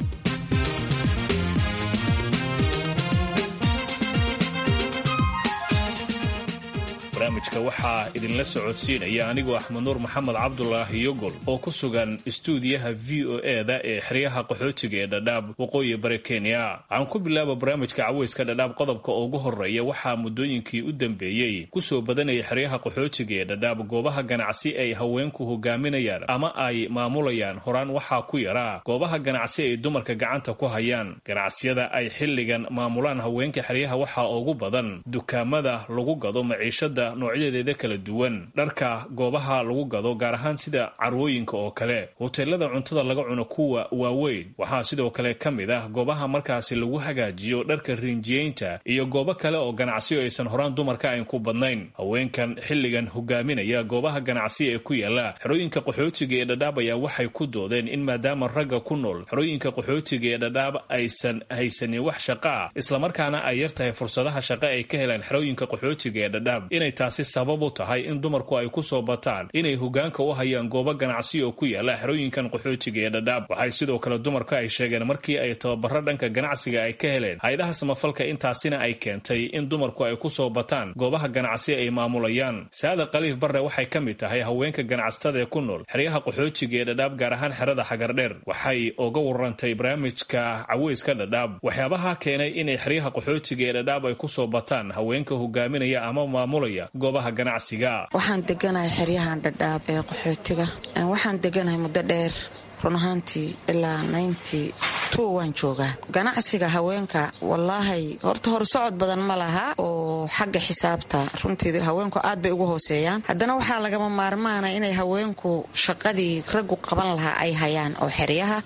Speaker 15: Barnaamijka waxaa idinla socodsiinaya anigoo Axmed Nuur Maxamed Cabdulaahi Yogol oo ku sugan istuudiyaha V O E da ee xeryaha qaxootiga ee Dhadhaab, waqooyi bari Kenya. Aan ku bilaaba barnaamijka Caweyska Dhadhaab qodobka ugu horeeya. Waxaa muddooyinkii u dambeeyey kusoo badanayay xeryaha qaxootiga ee Dhadhaab goobaha ganacsi ay haweenku hogaaminayaan ama ay maamulayaan. Horaan waxaa ku yaraa goobaha ganacsi ay dumarka gacanta ku hayaan. Ganacsiyada ay xilligan maamulaan haweenka xeryaha waxaa ugu badan dukaamada lagu gado maciishada noocyadeeda kala duwan, dharka goobaha lagu gado, gaar ahaan sida carwooyinka oo kale, hoteelada cuntada laga cuno kuwa waaweyn. Waxaa sidoo kale ka mid ah goobaha markaasi lagu hagaajiyo dharka rinjiyeynta iyo goobo kale oo ganacsiyo aysan horaan dumarka ayn ku badnayn. Haweenkan xilligan hogaaminaya goobaha ganacsi ee ku yaala xerooyinka qaxootiga ee Dhadhaab ayaa waxay ku doodeen in maadaama ragga ku nool xerooyinka qaxootiga ee Dhadhaab aysan haysanin wax shaqaa, islamarkaana ay yar tahay fursadaha shaqo ay ka helaan xerooyinka qaxootiga ee Dhadhaab, inay taasi sabab u tahay in dumarku ay ku soo bataan inay hogaanka u hayaan goobo ganacsi oo ku yaala xerooyinkan qaxootiga ee Dhadhaab. Waxay sidoo kale dumarku ay sheegeen markii ay tababaro dhanka ganacsiga ay ka heleen hay-adaha samafalka, intaasina ay keentay in dumarku ay ku soo bataan goobaha ganacsi ay maamulayaan. Saada Khaliif Barre waxay ka mid tahay haweenka ganacsatada ee ku nool xeryaha qaxootiga ee Dhadhaab, gaar ahaan xerada Xagardheer. Waxay uga warantay barnaamijka Caweyska Dhadhaab waxyaabaha keenay inay xeryaha qaxootiga ee Dhadhaab ay ku soo bataan haweenka hogaaminaya ama maamulaya goobaha ganacsiga.
Speaker 16: Waxaan deganahay xeryahan Dhadhaab ee qaxootiga. Waxaan deganahay muddo dheer, run ahaantii ilaa ninety two waan joogaa. Ganacsiga haweenka, wallaahi, horta hor socod badan ma laha oo xagga xisaabta runtii haweenku aad bay ugu hooseeyaan. Haddana waxaa lagama maarmaana inay haweenku shaqadii raggu qaban lahaa ay hayaan oo xeryaha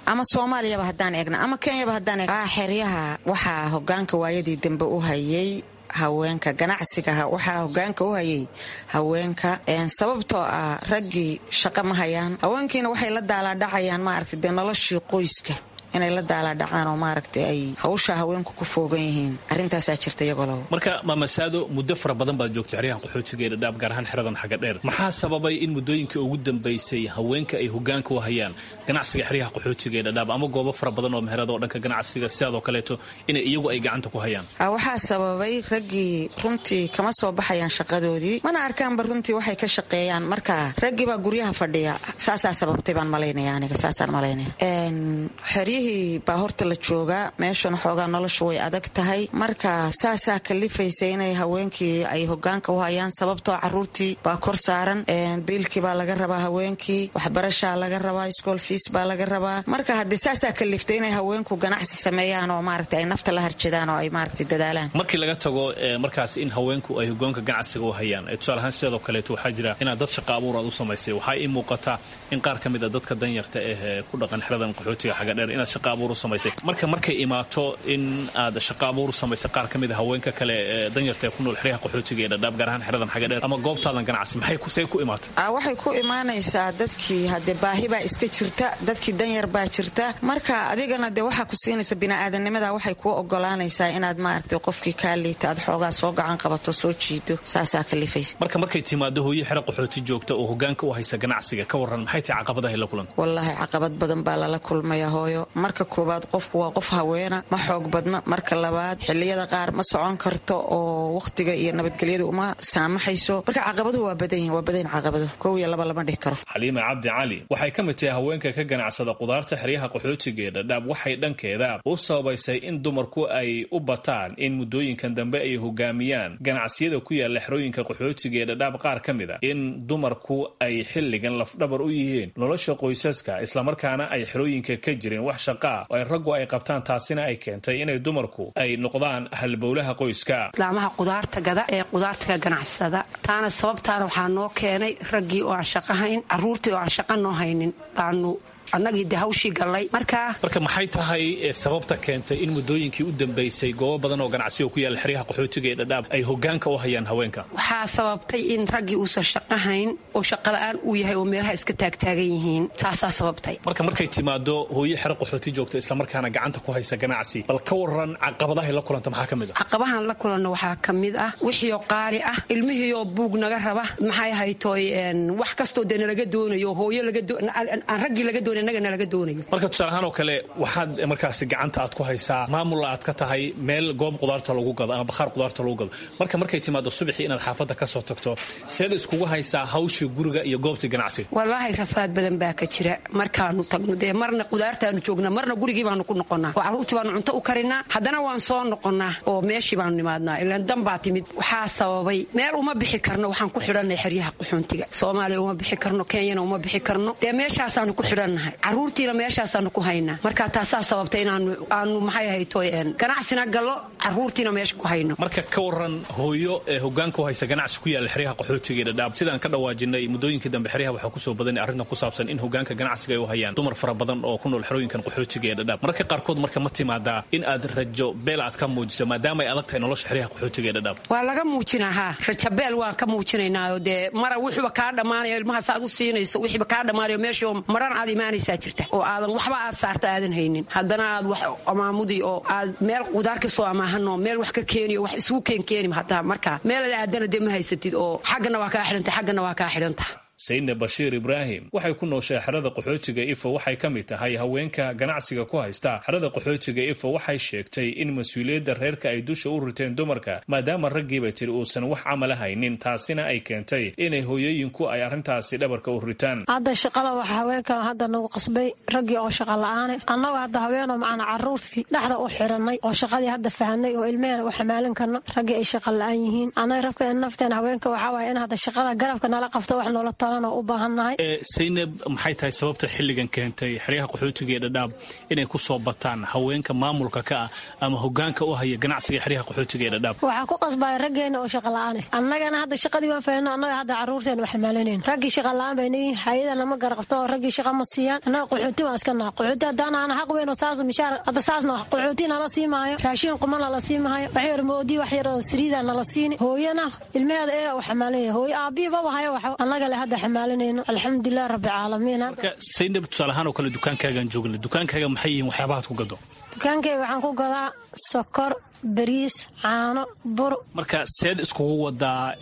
Speaker 16: ama Soomaaliyaba haddaan eegna ama Kenyaba haddaan eegna, xeryaha waxaa hogaanka waayadii dambe u hayay haweenka. Ganacsiga waxaa hogaanka u hayay haweenka, sababtoo ah raggii shaqo ma hayaan, haweenkiina waxay la daalaadhacayaan, maaragtay, dee noloshii qoyska inay la daalaadhacaan oo maaragtay ay hawsha haweenku ku foogan yihiin. Arrintaasaa jirta iyagolow.
Speaker 15: Marka, maamasaado, muddo fara badan baad joogtay xeryahan qaxootiga ee Dhadhaab, gaar ahaan xeradan Xaga Dheer. Maxaa sababay in muddooyinkii ugu dambaysay haweenka ay hogaanka u hayaan ganacsiga xeryaha qaxootiga ee Dhadhaab ama goobo fara badan oo meherada oo dhanka ganacsiga sidaadoo kaleeto inay iyagu ay gacanta ku hayaan?
Speaker 16: Waxaa sababay raggii runtii kama soo baxayaan shaqadoodii, mana arkaanba runtii waxay ka shaqeeyaan. Marka raggii baa guryaha fadhiya, saasaa sababtay baan malaynaya aniga, saasaan malaynaya. Xeryihii baa horta la joogaa, meeshan xoogaa noloshu way adag tahay. Marka saasaa kalifaysa inay haweenkii ay hogaanka u hayaan, sababtoo caruurtii baa kor saaran, biilkii baa laga rabaa haweenkii, waxbarashaa laga rabaa, school fees baa laga rabaa. Marka haddii saasaa kaliftay inay haweenku ganacsi sameeyaan oo maaragtay ay nafta la harjadaan oo ay maaragtay dadaalaan.
Speaker 15: Markii laga tago markaas in haweenku ay hogaanka ganacsiga u hayaan, tusaale ahaan sidoo kaleeto waxaa jira inaad dad shaqa abuur aad u samaysay. Waxaa ii muuqataa in qaar ka mid a dadka danyarta ah ee ku dhaqan xeradan qaxootiga Xagadheer inaad shaqa abuur u samaysay. Marka markay imaato in aad shaqa abuur u samaysay qaar ka mid a haweenka kale ee danyarta ee ku nool xeryaha qaxootiga ee Dhadhaab, gaar ahaan xeradan xaga dheer ama goobtaadan ganacsi, maxay ku see ku imaatay?
Speaker 16: Waxay ku imaanaysaa dadkii haddee baahi baa iska jirta, dadkii danyar baa jirta. Marka adigana dee waxaa ku siinaysa bini'aadanimada, waxay kuu ogolaanaysaa inaad maaragtay qofkii kaa liita aad xoogaa soo gacan qabato, soo jiido, saasaa kalifaysa.
Speaker 15: Marka markay timaado hooyo xero qaxooti joogta oo hogaanka u haysa ganacsiga, ka waran maxay tahay caqabadaha la kulanta?
Speaker 16: Wallaahi caqabad badan baa lala kulmaya hooyo. Marka koowaad qofku waa qof haweena, ma xoog badna. Marka labaad xilliyada qaar ma socon karto oo wakhtiga iyo nabadgelyadu uma saamaxayso. Marka caqabaduhu waa badan yihin, waa badan yihin caqabaduhu, kow iyo laba lama dhihi karo.
Speaker 15: Xaliima Cabdi Cali waxay ka mid tahay haweenka ka ganacsada qudaarta xeryaha qaxootiga ee Dhadhaab. Waxay dhankeeda u sababaysay in dumarku ay u bataan in muddooyinkan dambe ay hogaamiyaan ganacsiyada ku yaala xerooyinka qaxootiga ee Dhadhaab qaar ka mid a in dumarku ay xilligan lafdhabar u yihiin nolosha qoysaska, islamarkaana ay xerooyinka ka jirin wax shaqaa oo ay raggu ay qabtaan, taasina ay keentay inay dumarku ay noqdaan halbowlaha qoyska.
Speaker 17: Islaamaha qudaarta gada ee qudaarta ka ganacsada, taana sababtaana waxaa noo keenay raggii oo aan shaqo hayn, carruurtii oo aan shaqo noo haynin baanu annagii de hawshii gallay. Markaa
Speaker 15: marka maxay tahay sababta keentay in muddooyinkii u dambaysay goobo badan oo ganacsiga ku yaalla xeryaha qaxootiga ee Dhadhaab ay hogaanka u hayaan haweenka?
Speaker 17: Waxaa sababtay in raggii uusan shaqo hayn oo shaqola'aan uu yahay oo meelaha iska taagtaagan yihiin, taasaa sababtay.
Speaker 15: Marka markay timaado hooyo xero qaxooti joogta islamarkaana gacanta ku haysa ganacsi, bal ka waran caqabadahay la kulanta maxaa ka mid ah?
Speaker 17: Caqabahan la kulanno waxaa ka mid ah wixiioo qaali ah, ilmihiioo buug naga raba, maxay haytooy wax kastoo dee nalaga doonayo, hooyo aan raggii laga doonay.
Speaker 15: Marka tusaale ahaan oo kale waxaad markaasi gacanta aad ku haysaa maamul aad ka tahay meel goob qudaarta lagu gado ama bakhaar qudaarta lagu gado. Marka markay timaado subaxii inaad xaafadda ka soo tagto, seed iskugu haysaa hawshii guriga iyo goobtii ganacsiga?
Speaker 17: Wallaahi rafaad badan baa ka jira markaanu tagno. Dee marna qudaartaanu joognaa, marna gurigii baanu ku noqonnaa oo carruurtii baanu cunto u karinaa, haddana waan soo noqonnaa oo meeshii baanu nimaadnaa, ilaan dan baa timid. Waxaa sababay meel uma bixi karno, waxaan ku xidhannay xeryaha qaxoontiga. Soomaaliya uma bixi karno, Kenyana uma bixi karno, dee meeshaasaanu ku xidhannahay, caruurtiina meeshaasaanu ku haynaa. Marka taasaa sababta inaanu aanu maxay haytoy ganacsina gallo, caruurtiina meesha ku hayno.
Speaker 15: Marka ka waran hooyo ee hogaanka u haysa ganacsi ku yaalla xeryaha qaxootiga ee Dhadhaab, sidaan ka dhawaajinay muddooyinkii dambe xeryaha waxaa kusoo badanay arrintan ku saabsan in hogaanka ganacsiga ay u hayaan dumar fara badan oo ku nool xerooyinkan qaxootiga ee Dhadhaab. Mararka qaarkood marka ma timaadaa in aad rajo beel aad ka muujiso maadaama ay adag tahay nolosha xeryaha qaxootiga ee Dhadhaab?
Speaker 17: Waa laga muujinaa, haa, rajabeel waan ka muujinaynaayo. Dee mara wuxuuba kaa dhammaanayo ilmahaas aad u siinayso, wixiiba kaa dhammaanayo meeshii maran aad imaanaysaa jirta oo aadan waxba aad saarta aadan haynin, haddana aad wax amaamudi oo aad meel qudaar ka soo amaahanoo meel wax ka keeniyo wax isugu keenkeeni, hataa markaa meel aad aadana dee ma haysatid oo xaggana waa kaa xidhanta, xaggana waa kaa xidhanta.
Speaker 15: Sayidna Bashiir Ibraahim waxay ku nooshay xerada qaxootiga Ifo. Waxay ka mid tahay haweenka ganacsiga ku haysta xerada qaxootiga Ifo. Waxay sheegtay in mas-uuliyadda reerka ay dusha u riteen dumarka, maadaama raggiiba tiri uusan wax camala haynin, taasina ay keentay inay hooyooyinku ay arrintaasi dhabarka u ritaan.
Speaker 18: Hadda shaqada waxa haweenkan hadda nagu qasbay raggii oo shaqa la-aane, annagu hadda haweenoo macana carruurtii dhexda u xirannay oo shaqadii hadda fahanay oo ilmehena u xamaalin karno, raggii ay shaqa la-aan yihiin. Annaga rabka nafteena haweenka waxaa waaya in hadda shaqada garabka nala qabto, wax noola
Speaker 15: Saynab, maxay tahay sababta xilligan keentay xeryaha qaxootiga ee Dhadhaab inay ku soo bataan haweenka maamulka ka ah ama hogaanka u haya ganacsiga xeryaha qaxootiga ee Dhadhaab?
Speaker 18: Waxaa ku qasbaya raggeena oo shaqa la-aane, annagana hadda shaqadii waan fahanno, annaga hadda carruurteena wax xamaalanayn, raggii shaqa la-aan bay nayihin, hay-adana ma garaqabto oo raggii shaqa ma siiyaan. Annaga qaxooti waan iska naha, qaxooti haddaan ahna xaq weyn oo saasu mishaar hadda saasna qaxooti nala sii maayo, raashin quma nala sii maayo, wax yar moodi wax yar oo saliida nala siini. Hooyana ilmaheeda ee u xamaalanaya, hooyo aabbihi baba hayo, wax annaga le hadda alxamdulilah rabbi caalamiin.
Speaker 15: Marka Saynab, tusaale ahaan oo kale dukaankaagaan joogna, dukaankaaga maxay yihiin waxyaabahaad ku gado?
Speaker 18: Dukaankayga waxaan ku gadaa sokor, bariis, caano, bur.
Speaker 15: Marka seed iskugu wadaa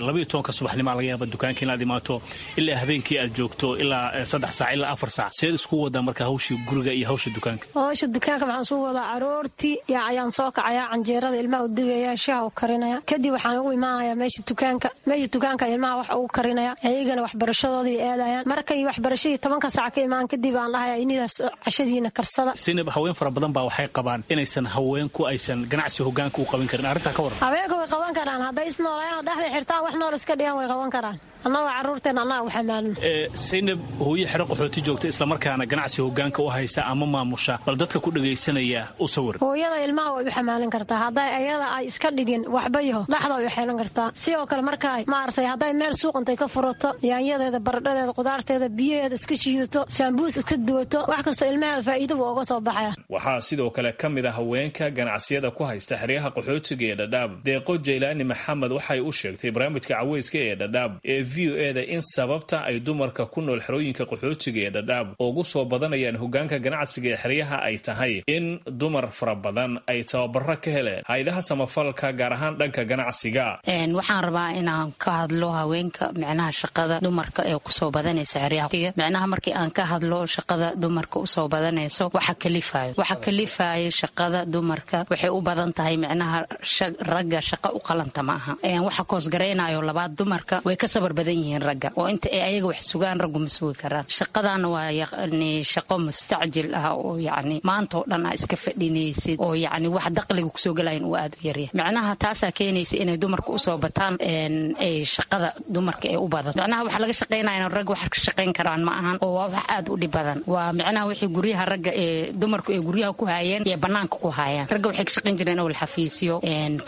Speaker 15: labaiyo tobanka subaxnimaa laga yaaba dukaanka inaad imaato ilaa habeenkii aad joogto ilaa saddex saac ilaa afar saac, seed iskugu wadaa marka hawshii guriga iyo hawsha dukaanka?
Speaker 18: Hawsha dukaanka waxaan isugu wadaa aroortii yaa ayaan soo kacayaa, canjeerada ilmaha u dubaya, shaha u karinaya, kadib waxaan ugu imaanayaa meesha dukaanka, meesha dukaanka ilmaha wax ugu karinaya, ayagana waxbarashadoodii aadayaan. Markay waxbarashadii tobanka saac ka imaan kadib aan dhahayaa inidaas cashadiina karsada.
Speaker 15: Saynab, haween fara badan baa waxay qabaan inaysan haweenku aysan ganacsi hogaanka u qaban karin. Arrintaa ka warran.
Speaker 18: Haweenku way qaban karaan hadday isnoolaayaan dhexda xirtaan, wax nool iska dhigan way qaban karaan. Annagoo carruurteen annaga u xamaalin.
Speaker 15: Saynab, hooyo xero qaxooti joogta islamarkaana ganacsi hogaanka u haysa ama maamusha, bal dadka ku dhagaysanaya u sawir.
Speaker 18: Hooyada ilmaha way u xamaalin kartaa hadday ayada ay iska dhigin waxba yaho, dhexda way u xeelan kartaa. Sidoo kale markaa maaragtay hadday meel suuq intay ka furato, yaanyadeeda, baradhadeeda, qudaarteeda, biyaheeda iska shiidato, saambuus iska duwato, wax kasta ilmaheeda faa'iido buu uga soo baxaya.
Speaker 15: Waxaa sidoo kale ka mid ah haweenka ganacsiyada ku haysta xeryaha qaxootiga ee Dhadhaab, Deeqo Jaylaani Maxamed. Waxay u sheegtay barnaamijka caweyska ee Dhadhaab ee V O E da in sababta ay dumarka ku nool xerooyinka qaxootiga ee Dhadhaab ugu soo badanayaan hogaanka ganacsiga ee xeryaha ay tahay in dumar fara badan ay tababaro ka heleen haydaha samafalka, gaar ahaan dhanka ganacsiga.
Speaker 19: Waxaan rabaa inaan ka hadlo haweenka, micnaha shaqada dumarka ee kusoo badanaysa xeryaha. Micnaha markii aan ka hadlo shaqada dumarka usoo badanayso, waxa kalifayo waxa kalifaya shaqada dumarka waxay u badan tahay micnaha ragga shaqa u qalanta ma aha. Waxa koosgaraynayo labaad, dumarka way ka sabar badan yihiin ragga, oo inta ay ayaga wax sugaan raggu ma sugi karaan. Shaqadana waa yacni shaqo mustacjil ah oo yacni maanta oo dhan aa iska fadhinaysid, oo yacni wax daqliga kusoo gelayan uu aad u yaryahay. Micnaha taasaa keenaysa inay dumarka usoo bataan, ay shaqada dumarka ee u badato. Micnaha waxa laga shaqaynaya rag wax ka shaqayn karaan ma ahan, oo waa wax aad u dhib badan. Waa micnaha wixii guryaha ragga ee dumarku ay guryaha ku haayeen iyo banaanka ku haayaan. Ragga waxay ka shaqayn jireen owl xafiisyo,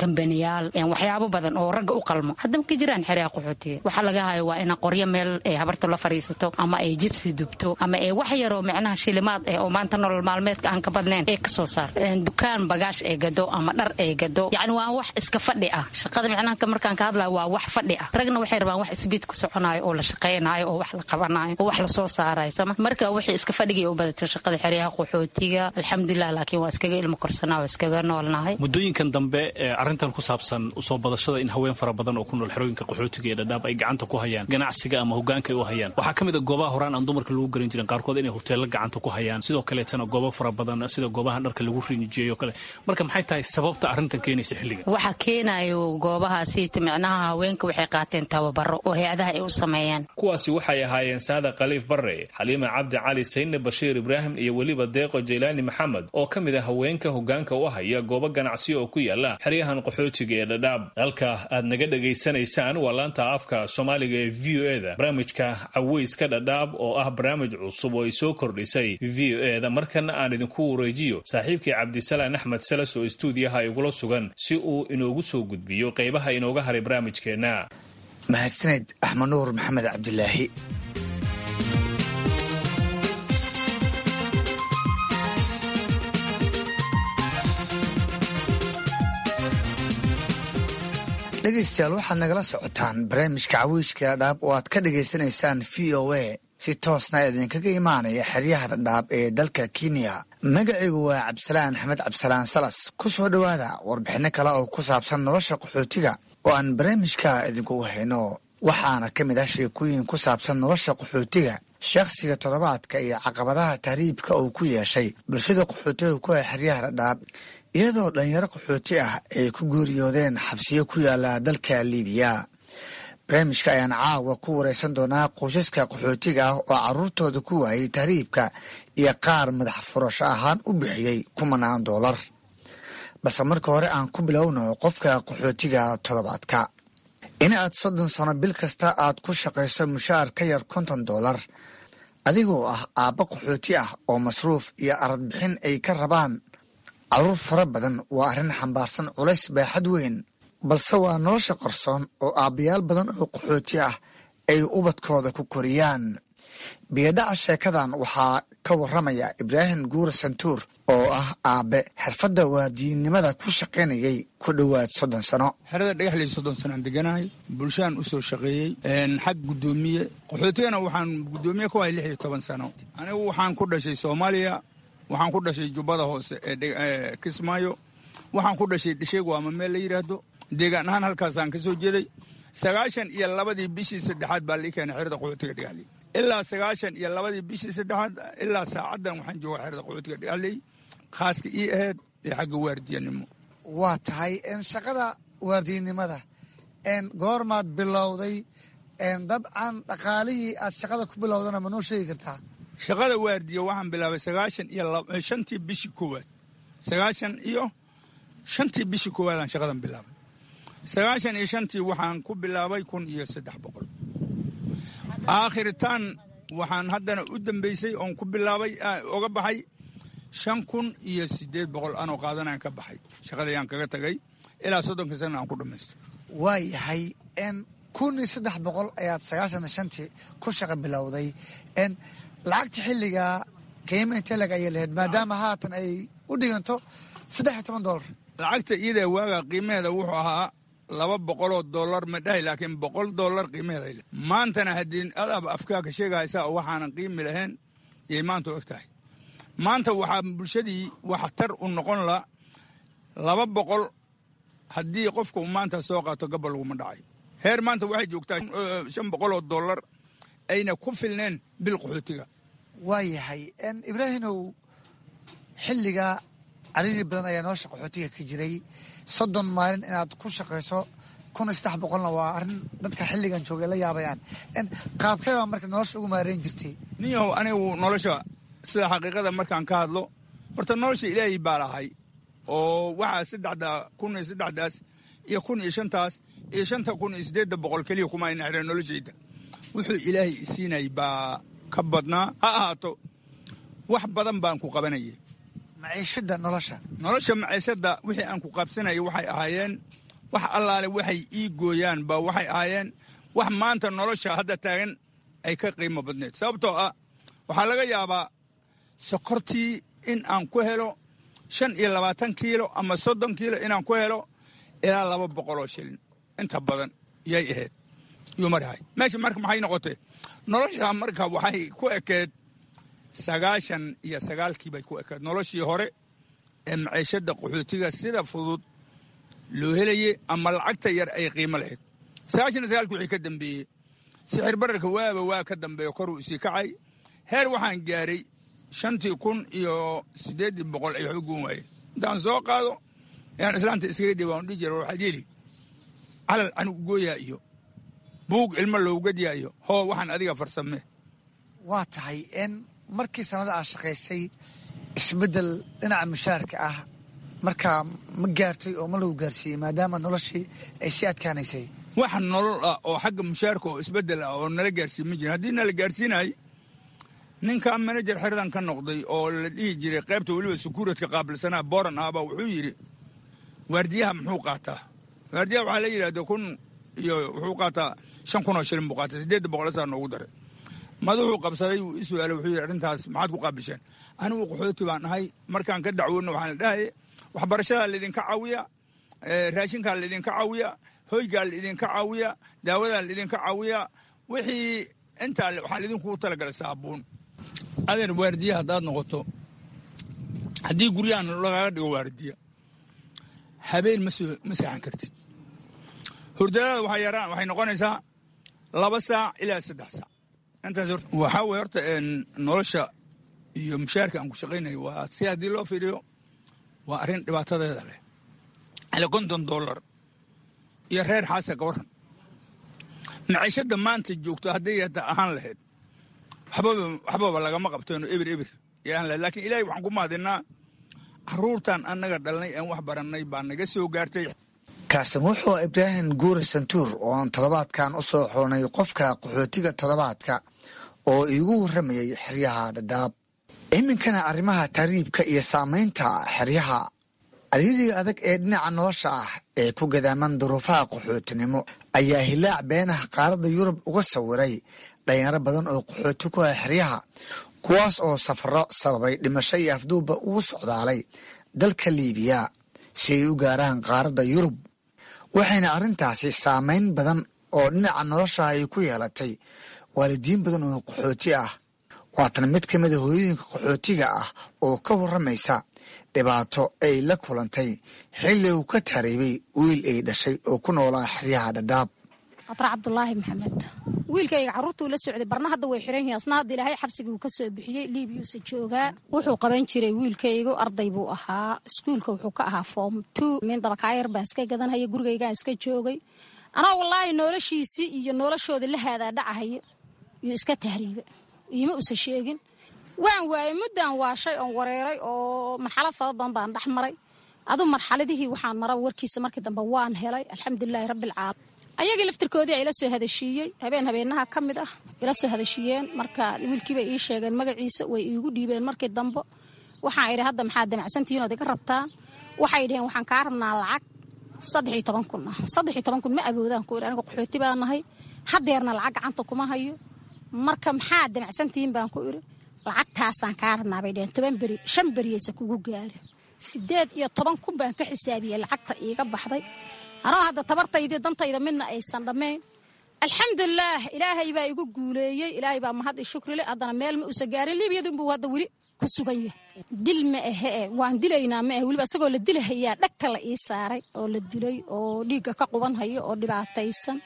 Speaker 19: kambaniyaal, waxyaabo badan oo ragga u qalmo. Hadda ma ka jiraan xeryaha qaxootiga. Waxa laga hayo waa ina qoryo meel ay habarta la fariisato, ama ay jibsi dubto, ama ay wax yaroo micnaha shilimaad eh oo maanta nolol maalmeedka aan ka badnayn ee kasoo saarto, dukaan bagaash ay gado ama dhar ay gado. Yacni waa wax iska fadhi ah shaqada. Micnaha markaan ka hadlayo waa wax fadhi ah. Ragna waxay rabaan wax isbiid ku soconayo oo la shaqaynayo oo wax la qabanayo oo wax lasoo saarayo sama. Marka wixii iska fadhigay u badatay shaqada xeryaha qaxootiga, alxamdulilah. Laakiin waa iskaga ilmo korsanaa, waa iskaga noolnahay.
Speaker 15: Muddooyinkan dambe arrintan ku saabsan usoo badashada in haween fara badan oo ku nool xerooyinka qaxootiga ee Dhadhaab ay gacanta ku hayaan ganacsiga ama hogaanka ay u hayaan, waxaa ka mid a goobaha horaan aan dumarka lagu garan jirin qaarkood inay hoteello gacanta ku hayaan, sidoo kaleetana goobo fara badan sida goobaha dharka lagu rinjiyeeyo kale. Marka maxay tahay sababta arrintan keenaysa xilligan?
Speaker 19: Waxa keenayo goobahaasi micnaha haweenka waxay qaateen tababaro oo hay-adaha ay u sameeyaan.
Speaker 15: Kuwaasi waxay ahaayeen Saada Khaliif Barre, Xaliima Cabdi Cali, Sayne Bashiir Ibraahim iyo weliba Deeqo Jaylaani Maxamed oo ka mid ah haweenka hogaanka u haya goobo ganacsiyo oo ku yaala xeryahan qaxootiga ee Dhadhaab. Halka aad naga dhegaysanaysaan waa laanta afka Soomaaliga ee V O E da, barnaamijka caweyska Dhadhaab oo ah barnaamij cusub oo ay soo kordhisay V O E da. Markana aan idinku wareejiyo saaxiibkii Cabdisalaan Axmed Salas oo istuudiyaha igula sugan si uu inoogu soo gudbiyo qaybaha inooga haray barnaamijkeenna.
Speaker 20: Mahadsaned Axmed Nuur Maxamed Cabdilaahi. Dhegaystayaal, waxaad nagala socotaan barnaamijka caweyska Dhadhaab oo aad ka dhagaysanaysaan V O A, si toosna idinkaga imaanaya xeryaha Dhadhaab ee dalka Kenya. Magacaygu waa Cabdisalaan Axmed Cabdisalaan Salas. Ku soo dhowaada warbixinno kale oo ku saabsan nolosha qaxootiga oo aan barnaamijka idinkugu hayno. Waxaana ka mid ah sheekooyin ku saabsan nolosha qaxootiga, shakhsiga toddobaadka iyo caqabadaha tahriibka uu ku yeeshay bulshada qaxootiga ku ah xeryaha Dhadhaab, iyadoo dhalinyaro qaxooti ah ay ku geeriyoodeen xabsiyo ku yaala dalka Liibiya. Barnaamijka ayaan caawa ku wareysan doonaa qoysaska qaxootiga ah oo carruurtooda ku waayey tahriibka iyo qaar madax furasho ahaan u bixiyey kumanaan doolar. Balse marka hore aan ku bilowno qofka qaxootiga toddobaadka. In aad soddon sano bil kasta aad ku shaqayso mushaar ka yar konton doolar, adigoo ah aabba qaxooti ah oo masruuf iyo aradbixin ay ka rabaan carruur fara badan, waa arrin xambaarsan culays baaxad weyn, balse waa nolosha qarsoon oo aabbayaal badan oo qaxooti ah ay ubadkooda ku koriyaan. Biyadhaca sheekadan waxaa ka warramaya Ibraahim Guure Santuur oo ah aabbe xirfadda waardiyinnimada ku shaqaynayay ku dhowaad soddon sano.
Speaker 21: Xerada Dhagaxley soddon sanoaan deganahay, bulshadan u soo shaqeeyey xag guddoomiye qaxootigana waxaan guddoomiye ku ahay lix iyo toban sano. Anigu waxaan ku dhashay Soomaaliya, waxaan ku dhashay Jubbada Hoose ee Kismaayo, waxaan ku dhashay Dhisheego ama meel la yidhaahdo. Deegaan ahaan halkaasaan ka soo jeeday. Sagaashan iyo labadii bishii saddexaad baa lii keenay xerada qaxootiga Dhagaxley. Ilaa sagaashan iyo labadii bishii saddexaad ilaa saacaddan waxaan joogaa xerada qaxootiga Dhagaxley, khaaska ii ahayd ee xagga waardiyanimo.
Speaker 20: Waa tahay shaqada waardiyanimada goormaad bilowday? Dabcan dhaqaalihii aad shaqada ku bilowdana ma noo sheegi kartaa?
Speaker 21: Shaqada waardiya waxaan bilaabay sagaashan iyo shantii bishii koowaad Sagaashan iyo shantii bishii koowaadaan shaqadan bilaabay. Sagaashan iyo shantii waxaan ku bilaabay kun iyo saddex boqol. Aakhiritaan waxaan haddana u dambeysay oon ku bilaabay oga baxay shan kun iyo siddeed boqol anoo qaadanaan ka baxay shaqadayaan kaga tagay ilaa soddonka sana aan ku dhammaysto.
Speaker 20: Waa yahay, kun iyo saddex boqol ayaad sagaashan iyo shantii ku shaqa bilowday. Lacagta xilligaa qiimo intee lag ayay lahayd, maadaama haatan ay u dhiganto saddex iyo toban dollar?
Speaker 21: Lacagta iyada waagaa qiimaheeda wuxuu ahaa laba boqoloo dollar ma dhahay, laakiin boqol dollar qiimaheeda ay lahayd. Maantana haddii adaaba afkaa ka sheegaysaa oo waxaanan qiimi lahayn yay maanta og tahay. Maanta waxaa bulshadii waxtar u noqon la laba boqol haddii qofka uu maanta soo qaato gabal laguma dhacayo. Heer maanta waxay joogtaa shan boqoloo dollar ayna ku filneen bil qaxootiga.
Speaker 20: Waa yahay, Ibraahimow, xilligaa cariiri badan ayaa nolosha qaxootiga ka jiray. Soddon maalin inaad ku shaqayso kun iyo saddex boqolna waa arrin dadka xilligan joogay la yaabayaan. Qaabkee baa marka nolosha ugu maareyn jirtay?
Speaker 21: Ninyahow, anigu nolosha sida xaqiiqada markaan ka hadlo, horta nolosha Ilaahay baa lahay, oo waxaa saddexda kun iyo saddexdaas iyo kun iyo shantaas iyo shanta kun iyo siddeedda boqol keliya kuma ayna xireen noloshayda. Wuxuu Ilaahay isiinay baa ka badnaa, ha ahaato wax badan baan ku qabanayay.
Speaker 20: Maciishada nolosha.
Speaker 21: Nolosha maciishada wixii aan ku qabsanayay waxay ahaayeen wax allaale waxay ii gooyaan baa waxay ahaayeen wax maanta nolosha hadda taagan ay ka qiimo badneed, sababtoo ah waxaa laga yaabaa sokortii in aan ku helo shan iyo labaatan kiilo ama soddon kiilo inaan ku helo ilaa laba boqoloo shilin inta badan yay ahayd yuu marahay meesha. Marka maxay noqotay nolosha? Marka waxay ku ekeed sagaashan iyo sagaalkii bay ku ekeed noloshii hore ee maciishada qaxootiga sida fudud loo helayey ama lacagta yar ay qiimo lahayd. Sagaashan iyo sagaalkii wixii ka dambeeyey sixir bararka waaba waa ka dambeeya, koruu isii kacay. Heer waxaan gaaray shantii kun iyo siddeeddii boqol ay waxba goon waayeen. Intaan soo qaado ayaan islaanta iskaga dhiba on dhihi jira, waxaad yeeli calal anigu gooyaa iyo buug ilmo loogadyaa iyo hoo waxaan adiga farsamee.
Speaker 20: Waa tahay, n markii sanada aad shaqaysay isbeddel dhinaca mushaarka ah markaa ma gaartay oo ma lagu gaarsiiyey, maadaama noloshii ay sii adkaanaysay?
Speaker 21: Wax nolol ah oo xagga mushaarka oo isbeddel ah oo nala gaarsiin ma jirin. Haddii nala gaarsiinay, ninkaa manajer xeradan ka noqday oo la dhihi jiray qaybta weliba sukuuradka qaabilsanaa booran ahbaa wuxuu yidhi, waardiyaha muxuu qaataa? Waardiyaha waxaa la yidhahda kun iyo wuxuu qaataa shan kun oo shilin buu qaatay, siddeedda boqol asaa noogu daray. Madaxuu qabsaday, wuu i su'aalay, wuxuu yidhi, arrintaas maxaad ku qaabisheen? Anigu qaxooti baan ahay, markaan ka dacwoodna waxaan la dhahay waxbarashadaa laydinka caawiya, raashinkaa laydinka caawiya, hoygaa laydinka caawiya, daawadaa laydinka caawiya, wixii intaa waxaa laydinkugu talagalay saabuun. Adeer, waardiya haddaad noqoto, haddii guryahan lagaaga dhigo waardiya, habeen ma soo ma seexan kartid. Hurdadada waxay yaraan waxay noqonaysaa laba saac ilaa saddex saac intaas. Waxaa weye horta nolosha iyo mushaarka aan ku shaqaynayo waa si haddii loo fiiriyo waa arrin dhibaatadeeda leh. Ile konton dollar iyo reer xaasa ka warran maciishadda maanta joogto hadday hata ahaan lahayd waxbaba waxbaba lagama qabteeno, ebir ebir iyo ahaan lahayd. Laakiin Ilaahay waxaan ku mahadinnaa carruurtan annaga dhalnay aan wax barannay baa naga soo gaartay.
Speaker 20: Kaasim wuxuu Ibraahim Guure Santuur oo aan toddobaadkan u soo xulnay qofka qaxootiga toddobaadka oo iigu warramayay xeryaha Dhadhaab. Iminkana arrimaha tahriibka iyo saamaynta xeryaha. Cariiriga adag ee dhinaca nolosha ah ee ku gadaaman duruufaha qaxootinimo ayaa hilaac beenaha qaaradda Yurub uga sawiray dhalinyaro badan oo qaxooti ku ah xeryaha, kuwaas oo safaro sababay dhimasho iyo afduubba ugu socdaalay dalka Liibiya si ay u gaaraan qaaradda Yurub, waxayna arrintaasi saamayn badan oo dhinaca nolosha ay ku yeelatay waalidiin badan oo qaxooti ah. Waatan mid ka mida hooyooyinka qaxootiga ah oo ka warramaysa dhibaato ay la kulantay xilli uu ka tahriibay wiil ay dhashay oo ku noolaa xeryaha Dhadhaab.
Speaker 5: Qatra Cabdulaahi Maxamed. Wiilkayga carruurtuu la socday barna hadda way xiran yihiin, asna hadda Ilaahay xabsigii uu ka soo bixiyey, Liibiyuusa joogaa. Wuxuu qaban jiray wiilkaygu, arday buu ahaa, iskuulka wuxuu ka ahaa form two. Min dabakaayar baan iska gadanhaya, gurigaygaan iska joogay. Anaa wallaahi noloshiisii iyo noloshooda la haadaa dhacahaya yuu iska tahriiba, iima usa sheegin. Waan waayey, muddaan waashay oon wareeray oo marxalad fara badan baan dhex maray. Adu marxaladihii waxaan mara warkiisa markii dambe waan helay, alxamdulilaahi rabbilcaalamiin. Ayagii laftirkoodii ay ila soo hadashiiyey habeen habeenaha ka mid ah ila soo hadashiiyeen. Marka wiilkiibay ii sheegeen magaciisa, way iigu dhiibeen. Markii dambe waxaan idhi, hadda maxaad damacsantihiin ood iga rabtaan? Waxay dhaheen, waxaan kaa rabnaa lacag saddex iyo toban kun ah. Saddex iyo toban kun ma awoodaan ku idhi, aniga qaxooti baa nahay, hadeerna lacag gacanta kuma hayo. Marka maxaad damacsantihiin baan ku idhi. Lacagtaasaan kaa rabnaa bay dhaheen, toban beri, shan beriyeysa kugu gaari. Sideed iyo toban kun baan ka xisaabiyey lacagta iiga baxday, anoo hadda tabartaydii dantayda midna aysan dhammayn. Alxamdulilaah, Ilaahay baa igu guuleeyey, Ilaahay baa mahad i shukrile. Haddana meel ma usa gaarin, Liibiyadunbuu hadda weli ku sugan yahay. Dil ma ahe, waan dilaynaa ma ahe. Weliba isagoo la dilahayaa dhagta la ii saaray oo la dilay oo dhiigga ka qubanhayo oo dhibaataysan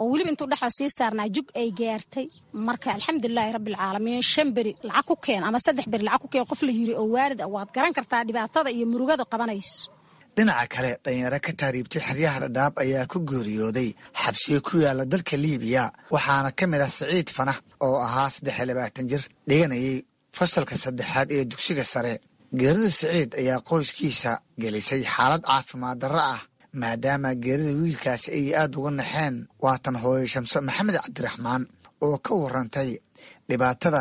Speaker 5: oo weliba intuu dhexda sii saarnaa jug ay gaartay. Marka alxamdulilaahi rabbilcaalamiin, shan beri lacag ku keen ama saddex beri lacag ku keen qof la yiri oo waalid ah, waad garan kartaa dhibaatada iyo murugada qabanayso.
Speaker 20: Dhinaca kale, dhalinyaro ka tahriibtay xeryaha Dhadhaab ayaa ku geeriyooday xabsiyo ku yaala dalka Liibiya, waxaana ka mid ah Siciid Fanax oo ahaa saddex iyo labaatan jir dhiganayay fasalka saddexaad ee dugsiga sare. Geerida Siciid ayaa qoyskiisa gelisay xaalad caafimaad darro ah, maadaama geerida wiilkaasi ay aad uga naxeen. Waatan hooyo Shamso Maxamed Cabdiraxmaan oo ka warantay dhibaatada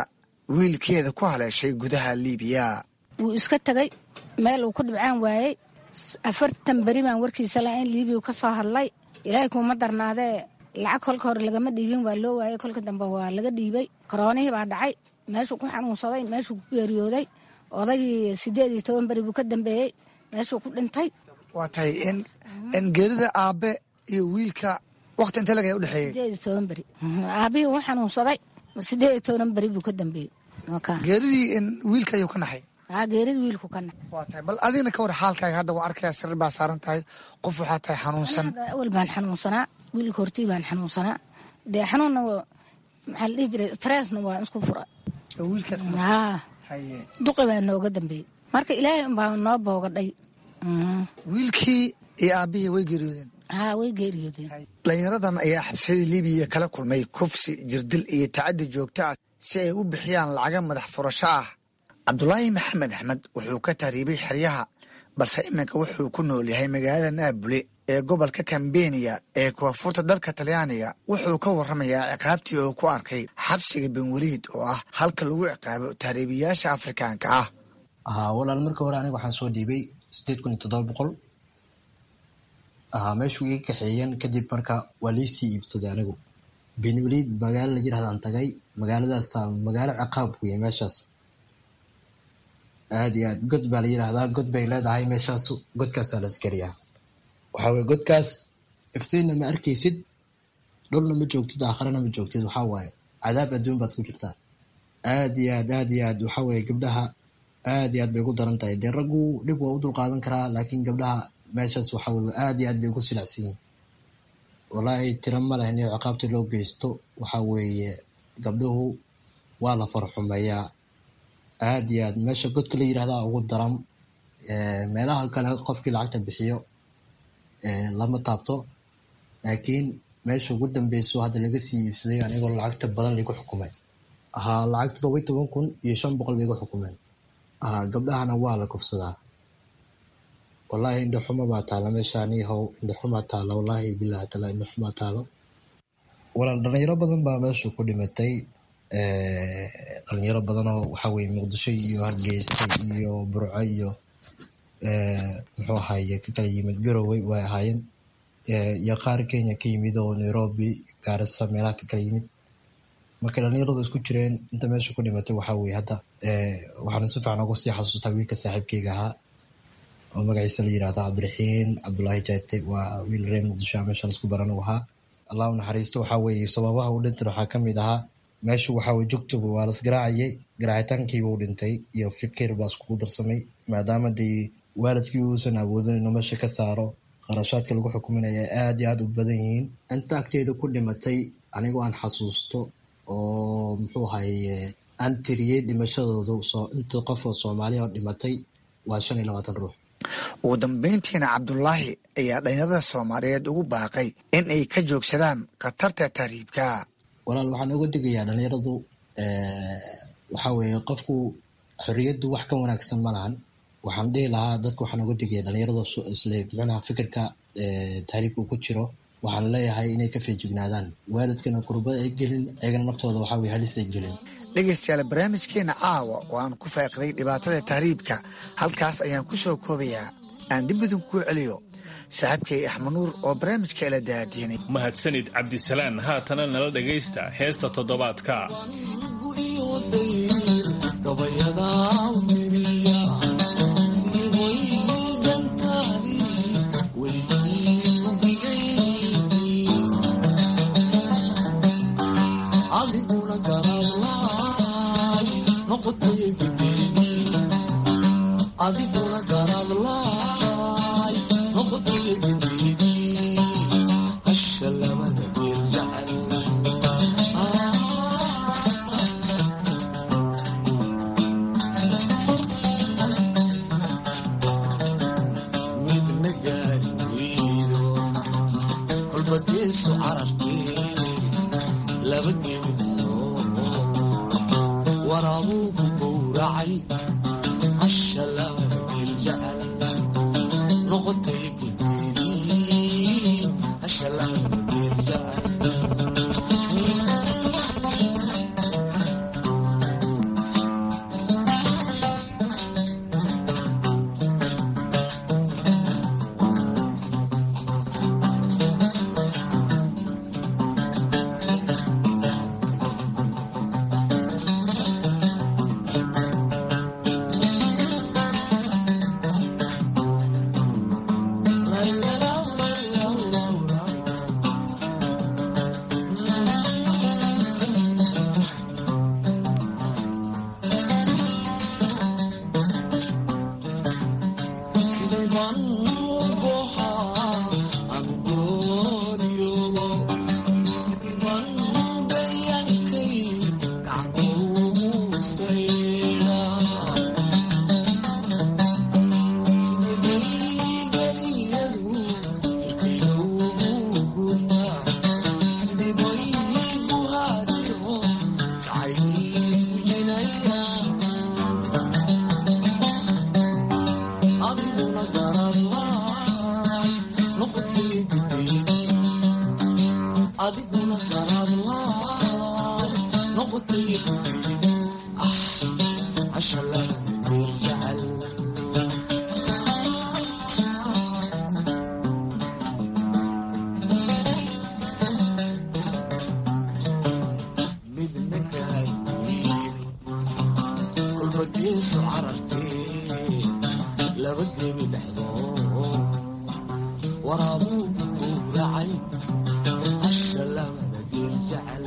Speaker 20: wiilkeeda ku haleeshay gudaha Liibiya.
Speaker 4: Wuu iska tegay, meel uu ku dhibcaan waayey. Afartan beri baan warkiisa la-ayn. Liibiya ka soo hadlay. Ilaahay kuuma darnaadee, lacag kolka hore lagama dhiibin, waa loo waayey. Kolka dambe waa laga dhiibay. Koroonihii baa dhacay, meeshuu ku xanuunsaday, meeshuu ku geeriyooday. Odaygii sideed iyo toban beri buu ka dambeeyey, meeshuu ku dhintay.
Speaker 20: Waa tahay in in geerida aabe iyo wiilka waqti intee laga udhexeeyey?
Speaker 4: Sideed iyo toban beri. Aabihii uu xanuunsaday, sideed iyo toban beri buu ka dambeeyey.
Speaker 20: Geeridii in wiilka ayuu ka naxay?
Speaker 4: Aa, geerida wiilku ka naxay.
Speaker 20: Waa tahay, bal adigna ka war xaalkaaga. Hadda waa arkaya, sariir baa saaran tahay, qof waxaa tahay xanuunsan.
Speaker 4: Awal baan xanuunsanaa, wiilka hortii baan xanuunsanaa. Dee xanuunna maxaa la dhihi jiray, stressna waa isku fura.
Speaker 20: Wiilkaad?
Speaker 4: Haa, duqi baa nooga dambeeyey. Marka Ilaahay unbaa noo boogadhay.
Speaker 20: Wiilkii iyo aabihii way geeriyoodeen?
Speaker 4: Haa, way geeriyoodeen.
Speaker 20: Dhalinyaradan ayaa xabsiyada Liibiya kala kulmay kufsi, jirdil iyo tacaddi joogto ah si ay u bixiyaan lacaga madax furasho ah. Cabdulaahi Maxamed Axmed wuxuu ka tahriibay xeryaha, balse iminka wuxuu ku nool yahay magaalada Naabule ee gobolka Kambeniya ee koonfurta dalka Talyaaniga. Wuxuu ka warramayaa ciqaabtii oo ku arkay xabsiga Benweliid oo ah halka lagu ciqaabo tahriibiyaasha Afrikaanka ah.
Speaker 22: Haa walaal, marka hore aniga waxaan soo dhiibay sideed kun iyo toddoba boqol. Meeshuu iga kaxeeyeen kadib, marka waa liisii iibsaday. Anigu Benweliid magaalo la yirahdaan tagay. Magaaladaasa magaalo ciqaab weye meeshaas, aad iyo aad. God baa la yiraahdaa, god bay leedahay meeshaas. Godkaasaa la askariyaa. Waxaa weye godkaas iftiinna ma arkaysid, dhulna ma joogtid, aakharana ma joogtid. Waxaa waaye cadaab adduun baad ku jirtaa, aad iyo aad, aad iyo aad. Waxaa weye gabdhaha aad iyo aad bay ugu daran tahay. Dee raggu dhib waa u dulqaadan karaa, laakiin gabdhaha meeshaas waxaa weye aad iyo aad bay ugu silacsan yihiin. Wallaahi tiro ma leh in ciqaabta loo geysto. Waxaa weeye gabdhuhu waa la farxumeeyaa aad iyo aad. Meesha godka la yirahdaa ugu daran. Meelaha kale qofkii lacagta bixiyo lama taabto, laakiin meesha ugu dambeyso hadda laga sii iibsaday anigoo lacagta badan laigu xukumay. Haa, lacag toddoba iyo toban kun iyo shan boqol bay igu xukumeen. Haa, gabdhahana waa la kufsadaa. Wallaahi indhaxuma baa taala meesha, anihow indhaxumaa taala, wallaahi bilahi taala indhaxumaa taalo. Walaal, dhalinyaro badan baa meesha ku dhimatay. Dhalinyaro badanoo waxaa weye Muqdisho iyo Hargeysa iyo Burco iyo muxuu ahaye ka kala yimid, Garowe way ahaayeen, iyo qaar Kenya ka yimid oo Nairobi, Gaarisa, meelaha ka kala yimid. Marka dhalinyaradu isku jireen inta meesha ku dhimatay. Waxaa weye hadda waxaana si fiican uga sii xasuustaa wiilka saaxiibkeyga ahaa oo magaciisa la yirahdo Cabdiraxiin Cabdulaahi Jaate. Waa wiil reer Muqdisho, meesha laisku baran uu ahaa, Allah u naxariisto. Waxaa weeye sababaha uu dhintay waxaa ka mid ahaa meeshu waxaa weye jugtuba waa las garaacayay, garaacitaankiiba u dhintay iyo fikir baa iskugu darsamay, maadaama dee waalidkii uusan awoodin inuu meesha ka saaro. Qarashaadka lagu xukuminaya aad iyo aad u badan yihiin. Inta agteeda ku dhimatay anigoo aan xasuusto oo muxuu ahaye aan tiriyey dhimashadooda, soo inta qof oo Soomaaliya oo dhimatay waa shan iyo labaatan ruux.
Speaker 20: Ugu dambeyntiina Cabdulaahi ayaa dhalinyarada Soomaaliyeed ugu baaqay in ay ka joogsadaan khatarta tahriibka.
Speaker 22: Walaal, waxaan uga digayaa dhalinyaradu Waxaa weeye qofku xorriyaddu wax ka wanaagsan ma lahan. Waxaan dhihi lahaa dadka, waxaan uga digaya dhalinyarada isle micnaha fikirka tahriibka uu ku jiro, waxaan leeyahay inay ka feejignaadaan, waalidkana kurbada ay gelin, ayagana naftooda waxaa weye halis ay gelin.
Speaker 20: Dhegaystayaal, barnaamijkeena caawa oo aan ku faaqiday dhibaatada tahriibka halkaas ayaan ku soo koobayaa. Aan dib idin kuu celiyo saaxiibkay Axmed Nuur oo barnaamijka ila daadiinay.
Speaker 15: Mahadsanid, Cabdisalaan. Haatana nala dhagaysta heesta toddobaadka.
Speaker 14: Adiguna garaadlaay noqotay gidiidii hasha labada geel jecel. Midna gaari weydo, kolba geesu carartee, laba geeni dhalo waraabuu ku gowracay hasha labada geel jecel noqotay gidiidii hasha labada geel jecel. Adiguna garaadlaay noqotay ah hasha labada geel jecel. Midna gaari weydo, kolba geesu carartee, laba gebi dhexdood waraabuu ku gowracay hasha labada geel jecel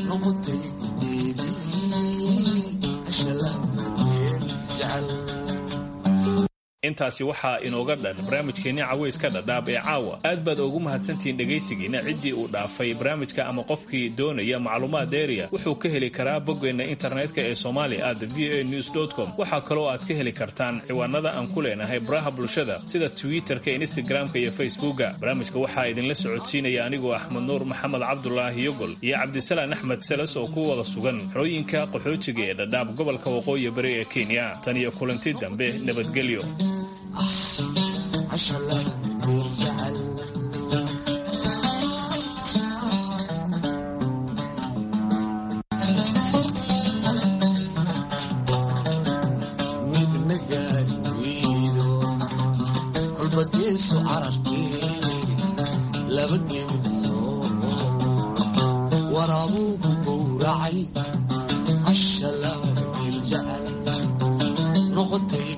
Speaker 14: noqotay gideedii hasha labada geel jecel.
Speaker 15: Intaasi waxaa inooga dhan barnaamijkeenni cawayska Dhadhaab ee caawa. Aad baad ugu mahadsantihiin dhegaysigiina. Ciddii uu dhaafay barnaamijka ama qofkii doonaya macluumaad dheeriya wuxuu ka heli karaa boggeenna internetka ee somali at v a news com. Waxaa kaloo aad ka heli kartaan ciwaanada aan ku leenahay baraha bulshada sida Twitterka, Instagramka iyo Facebooka. Barnaamijka waxaa idinla socodsiinaya anigoo Axmed Nuur Maxamed Cabdulaahi Yogol iyo Cabdisalaan Axmed Selas oo ku wada sugan xerooyinka qaxootiga ee Dhadhaab, gobolka waqooyi bari ee Kenya. Tan iyo kulanti dambe, nabadgelyo.
Speaker 14: Hasha labada geel jecel. Midna gaari weydo, kolba geesu carartee, laba geeni dhalo waraabuu ku gowracay hasha labada geel jecel noqotay.